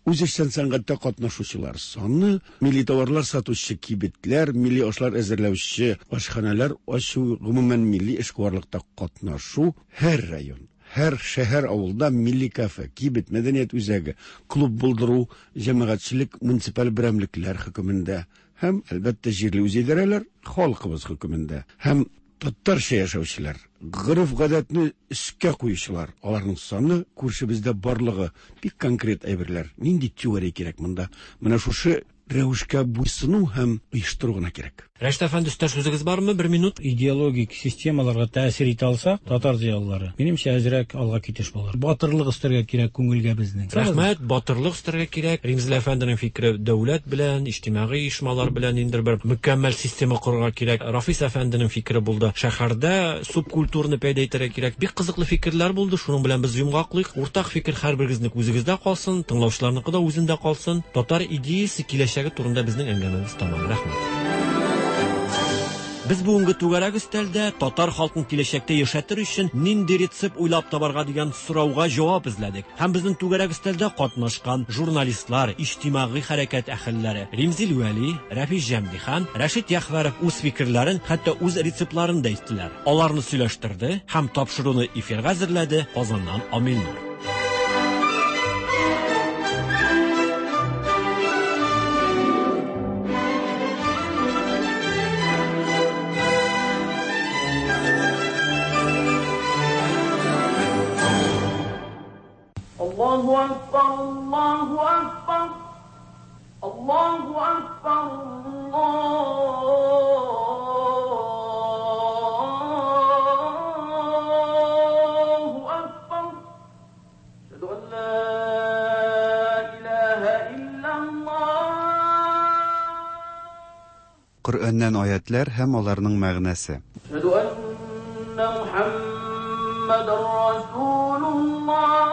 үзешчән сәнгатьтә катнашучылар саны, милли товарлар сатучы кибетләр, милли ашлар әзерләүче ашханәләр ачу, гомумән милли эшкуарлыкта катнашу һәр район, һәр шәһәр, авылда милли кафе, кибет, мәдәният үзәге, клуб булдыру, җәмәгатьчелек, муниципаль берәмлекләр хөкемендә һәм, әлбәттә, җирле үзидарәләр халкыбыз хөкемендә һәм татарча яшәүчеләр, гореф-гадәтне өскә куючылар, аларның саны күршебездә барлыгы бик конкрет әйберләр. Нинди теория кирәк монда? Менә шушы рәвешкә буйсыну һәм оештыру гына кирәк. Рәшит әфәнде, өстәш сүзегез бармы? Бер минут. Идеологик системаларга тәэсир итә алсак, татар зыялылары, минемчә, әзрәк алга китеш булыр. Батырлык өстәргә кирәк күңелгә безнең. Рәхмәт, батырлык өстәргә кирәк. Римзил әфәнденең фикере дәүләт белән, иҗтимагый оешмалар белән инде бер мөкәммәл система корырга кирәк. Рафис әфәнденең фикере булды. Шәһәрдә субкультураны пәйда итәргә кирәк. Бик кызыклы фикерләр булды. Шуның белән без йомгаклыйк. Уртак фикер һәрберегезнең үзегездә калсын, тыңлаучыларныкы да үзендә калсын. Татар идеясе киләчәге турында безнең әңгәмәбез тәмам. Рәхмәт. Без бүгенге түгәрәк өстәлдә татар халкын киләчәктә яшәтер өчен нинди рецепт уйлап табарга дигән сорауга җавап эзләдек. Һәм безнең түгәрәк өстәлдә катнашкан журналистлар, иҗтимагый хәрәкәт әһелләре Римзил Вәли, Рафис Җәмдихан, Рәшит Яхвәров үз фикерләрен, хәтта үз рецептларын да әйттеләр. Аларны сөйләштерде һәм тапшыруны эфирга әзерләде Казаннан Амил Нур. الله أكبر الله أكبر الله أكبر الله أكبر أشهد أن لا إله إلا الله. Коръәннән аятлар һәм аларның мәгънәсе. أشهد أن محمدا رسول الله.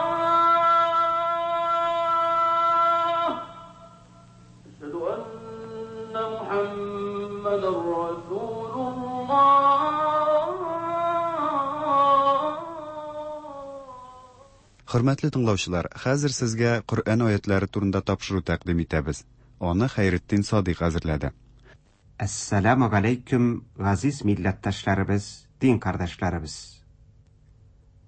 Хөрмәтле тыңлаучылар, хәзер сезгә Коръән аятлары турында тапшыру тәкъдим итәбез. Аны Хәйретдин Садыйк әзерләде. Әссәламу галәйкүм, газиз милләттәшләребез, дин кардәшләребез.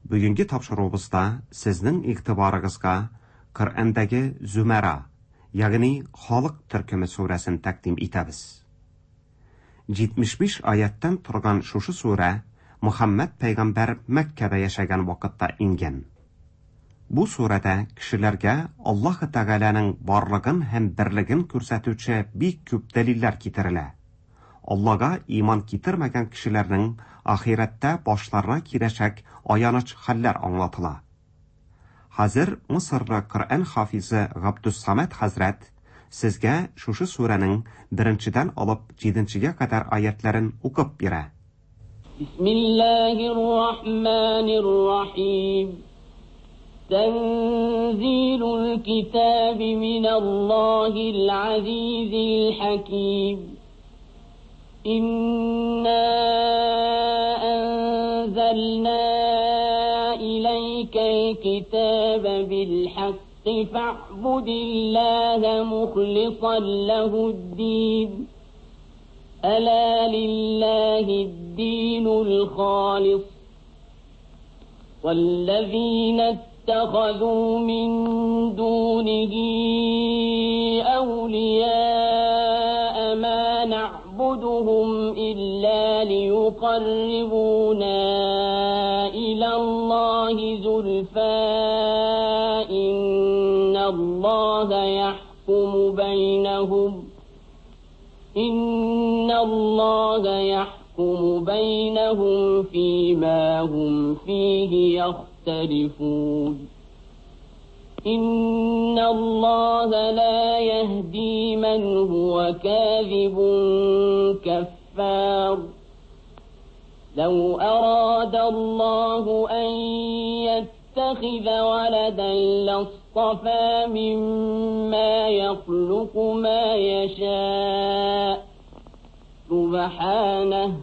Бүгенге тапшыруыбызда сезнең игътибарыгызга Коръәндәге Зумара, ягъни халык төркеме сүрәсен тәкъдим итәбез. җитмеш биш аяттан торган шушы сүрә Мөхәммәд пәйгамбәр Мәккәдә яшәгән вакытта ингән. Бу сүрәдә кешеләргә Аллаһ Тәгаләнең барлыгын һәм берлеген күрсәтүче бик күп дәлилләр китерелә. Аллаһка иман китермәгән кешеләрнең ахирәттә башларына киләчәк аяныч хәлләр аңлатыла. Хәзер Мисырлы Коръән хафизы Габдус-Самад хәзрәт сезгә шушы сүрәнең беренчедән алып җиденчегә кадәр аятларын укып бирә. Бисмиллаһир рахманир рахим. تنزيل الكتاب من الله العزيز الحكيم. إنا أنزلنا إليك الكتاب بالحق فاعبد الله مخلصا له الدين. ألا لله الدين الخالص. والذين اتخذوا من دونه أولياء ما نعبدهم نعبدهم إلا ليقربونا إلى الله زلفى إن الله يحكم بينهم إن الله يحكم بينهم فيما هم فيه يختلفون إن الله لا يهدي من هو كاذب كفار لو أراد الله أن يتخذ ولدا لاصطفى مما يخلق ما يشاء سبحانه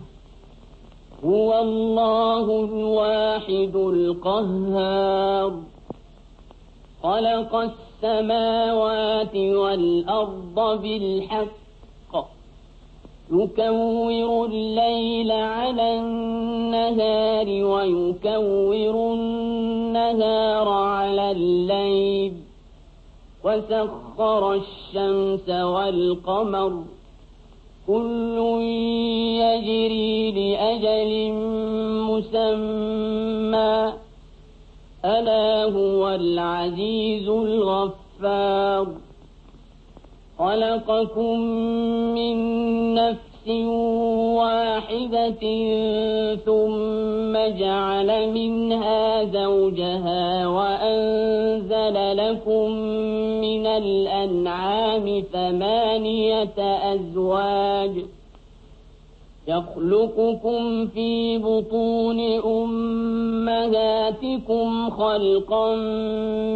هو الله الواحد القهار خلق السماوات والأرض بالحق يكور الليل على النهار ويكور النهار على الليل وسخر الشمس والقمر كل يجري لأجل مسمى ألا هو العزيز الغفار خلقكم من نفس واحدة ثم جعل منها زوجها وأنزل لكم من الأنعام ثمانية أزواج يخلقكم في بطون أمهاتكم خلقا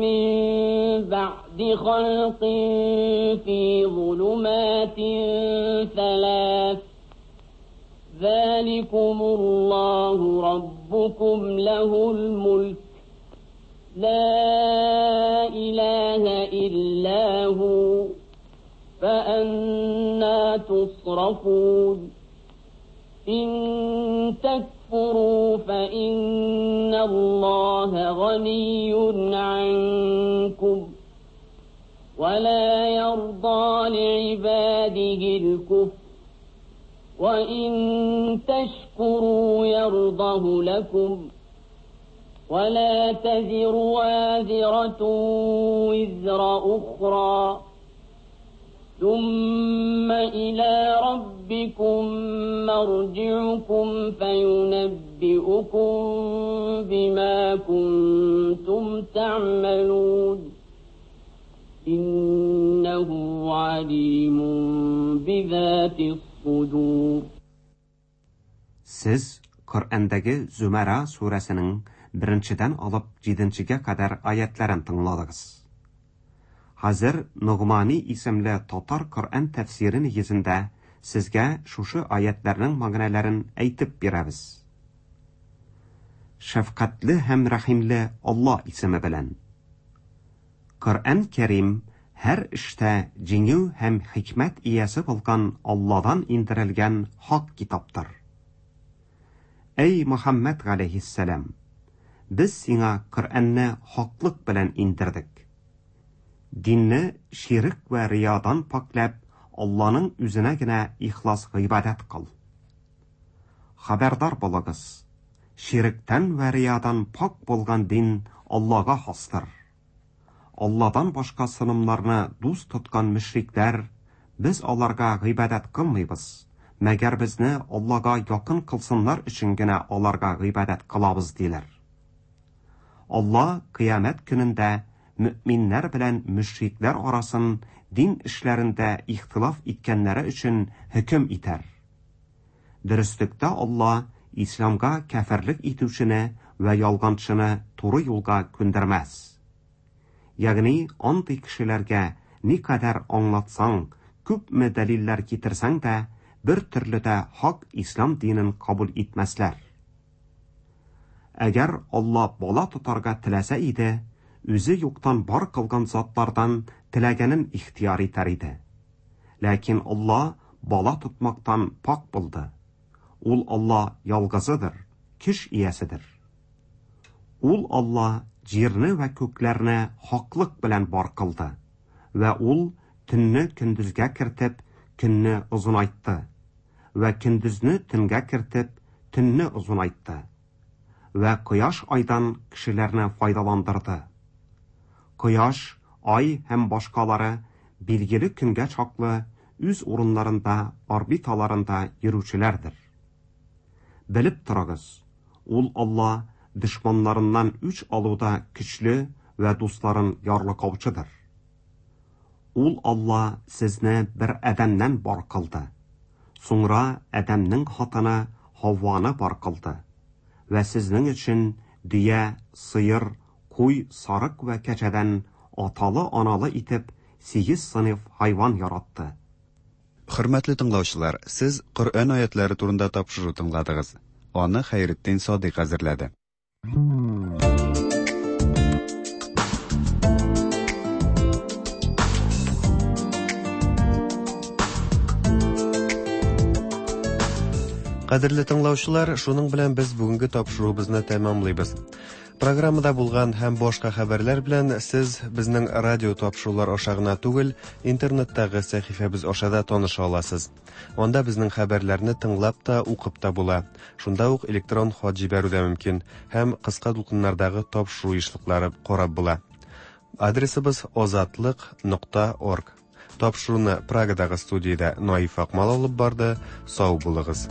من بعد خلق في ظلمات ثلاث ذلكم الله ربكم له الملك لا إله إلا هو فأنا تصرفون إن تكفروا فإن الله غني عنكم ولا يرضى لعباده الكفر وإن تشكروا يرضه لكم ولا تزر وازرة وزر أخرى ثم إلى ربكم مرجعكم فينبئكم بما كنتم تعملون إنه عليم بذات الصدور. Siz Qur'ondagi Zumara surasining birinchidan olib yettinchiga qadar oyatlarini tingladingiz. Hozir Nug'mani ismli tatar Qur'on tafsiri negizida sizga shushu oyatlarning ma'nolarini aytib beramiz. Shafqatli ham rahimli Alloh ismi bilan. Qur'on Karim har ishda jingu ham hikmat egasi bo'lgan Allohdan indirilgan haq kitobdir. Ey Muhammad alayhissalom, biz senga Qur'onni haqlik bilan indirdik. Dinni shirik va riyodan poklab, Allohning o'zinagina ixlos ibodat qil. Xabardor bo'lingiz, shirkdan va riyodan pok bo'lgan din Allohga xosdir. Allohdan boshqa sanamlarni do'st tutgan mushriklar, biz ularga ibodat qilmaymiz, magar bizni Allohga yaqin qilsinlar uchungina ularga ibodat qilamiz deylar. Alloh qiyomat kunida müminler bilan müşrikler arasın din işlerinde ihtilaf etkenleri üçün hüküm iter. Dürüstlükte Allah İslamga kafirlik etuvchini va yolg'onchini to'g'ri yo'lga ko'ndirmas. Ya'ni anti kishilarga ne qadar anglatsang, ko'pmi dalillar keltirsang da bir turlida haq islom dinini qabul etmaslar. Agar Alloh bola tutarga tilasa edi, o'zi yo'qdan bor qilgan zotlardan tilaganin ixtiyor etar edi. Lekin Alloh bola tutmoqdan pok bo'ldi. Ul Alloh yolg'izidir, kuch egasidir. Ul Alloh yerni va ko'klarni haqlik bilan bor qildi va ul tunni kunduzga kiritib, kunni uzunaytdi. Вә көндезне төнгә кертеп, төнне озынайтты. Вә кояш айдан кешеләрне файдаландырды. Кояш, ай һәм башкалары билгеле көнгә чаклы үз урыннарында, орбиталарында йөрүчеләрдер. Белеп торыгыз, ул Алла дошманнарыннан үч алуда көчле вә дусларын ярлыкаучыдыр. Ул Алла сезне бер адәмнән бар кылды. Соңра адәмнең хатыны Һавваны бар кылды. Вә сезнең өчен дөя, сыер, куй, сарык вә кәҗәдән аталы-аналы итеп сигез сыйныф хайван яратты. Хөрмәтле тыңлаучылар, сез Коръән аятлары турында тапшыру тыңладыгыз. Аны Хәйретдин Садыйк әзерләде. Кадерле тыңлаучылар, шуның белән без бүгенге тапшыруыбызны тәмамлыйбыз. Программада булган һәм башка хәбәрләр белән сез безнең радио тапшырулар аша гына түгел, интернеттагы сәхифәбез аша да таныша аласыз. Анда безнең хәбәрләрне тыңлап та, укып та була. Шунда ук электрон хат җибәрү дә мөмкин һәм кыска дулкыннардагы тапшыру ешлыклары карап була. Адресыбыз озатлык нокта орг. Тапшыруны Прагадагы студиядә Наиф Акмал алып барды. Сау булыгыз.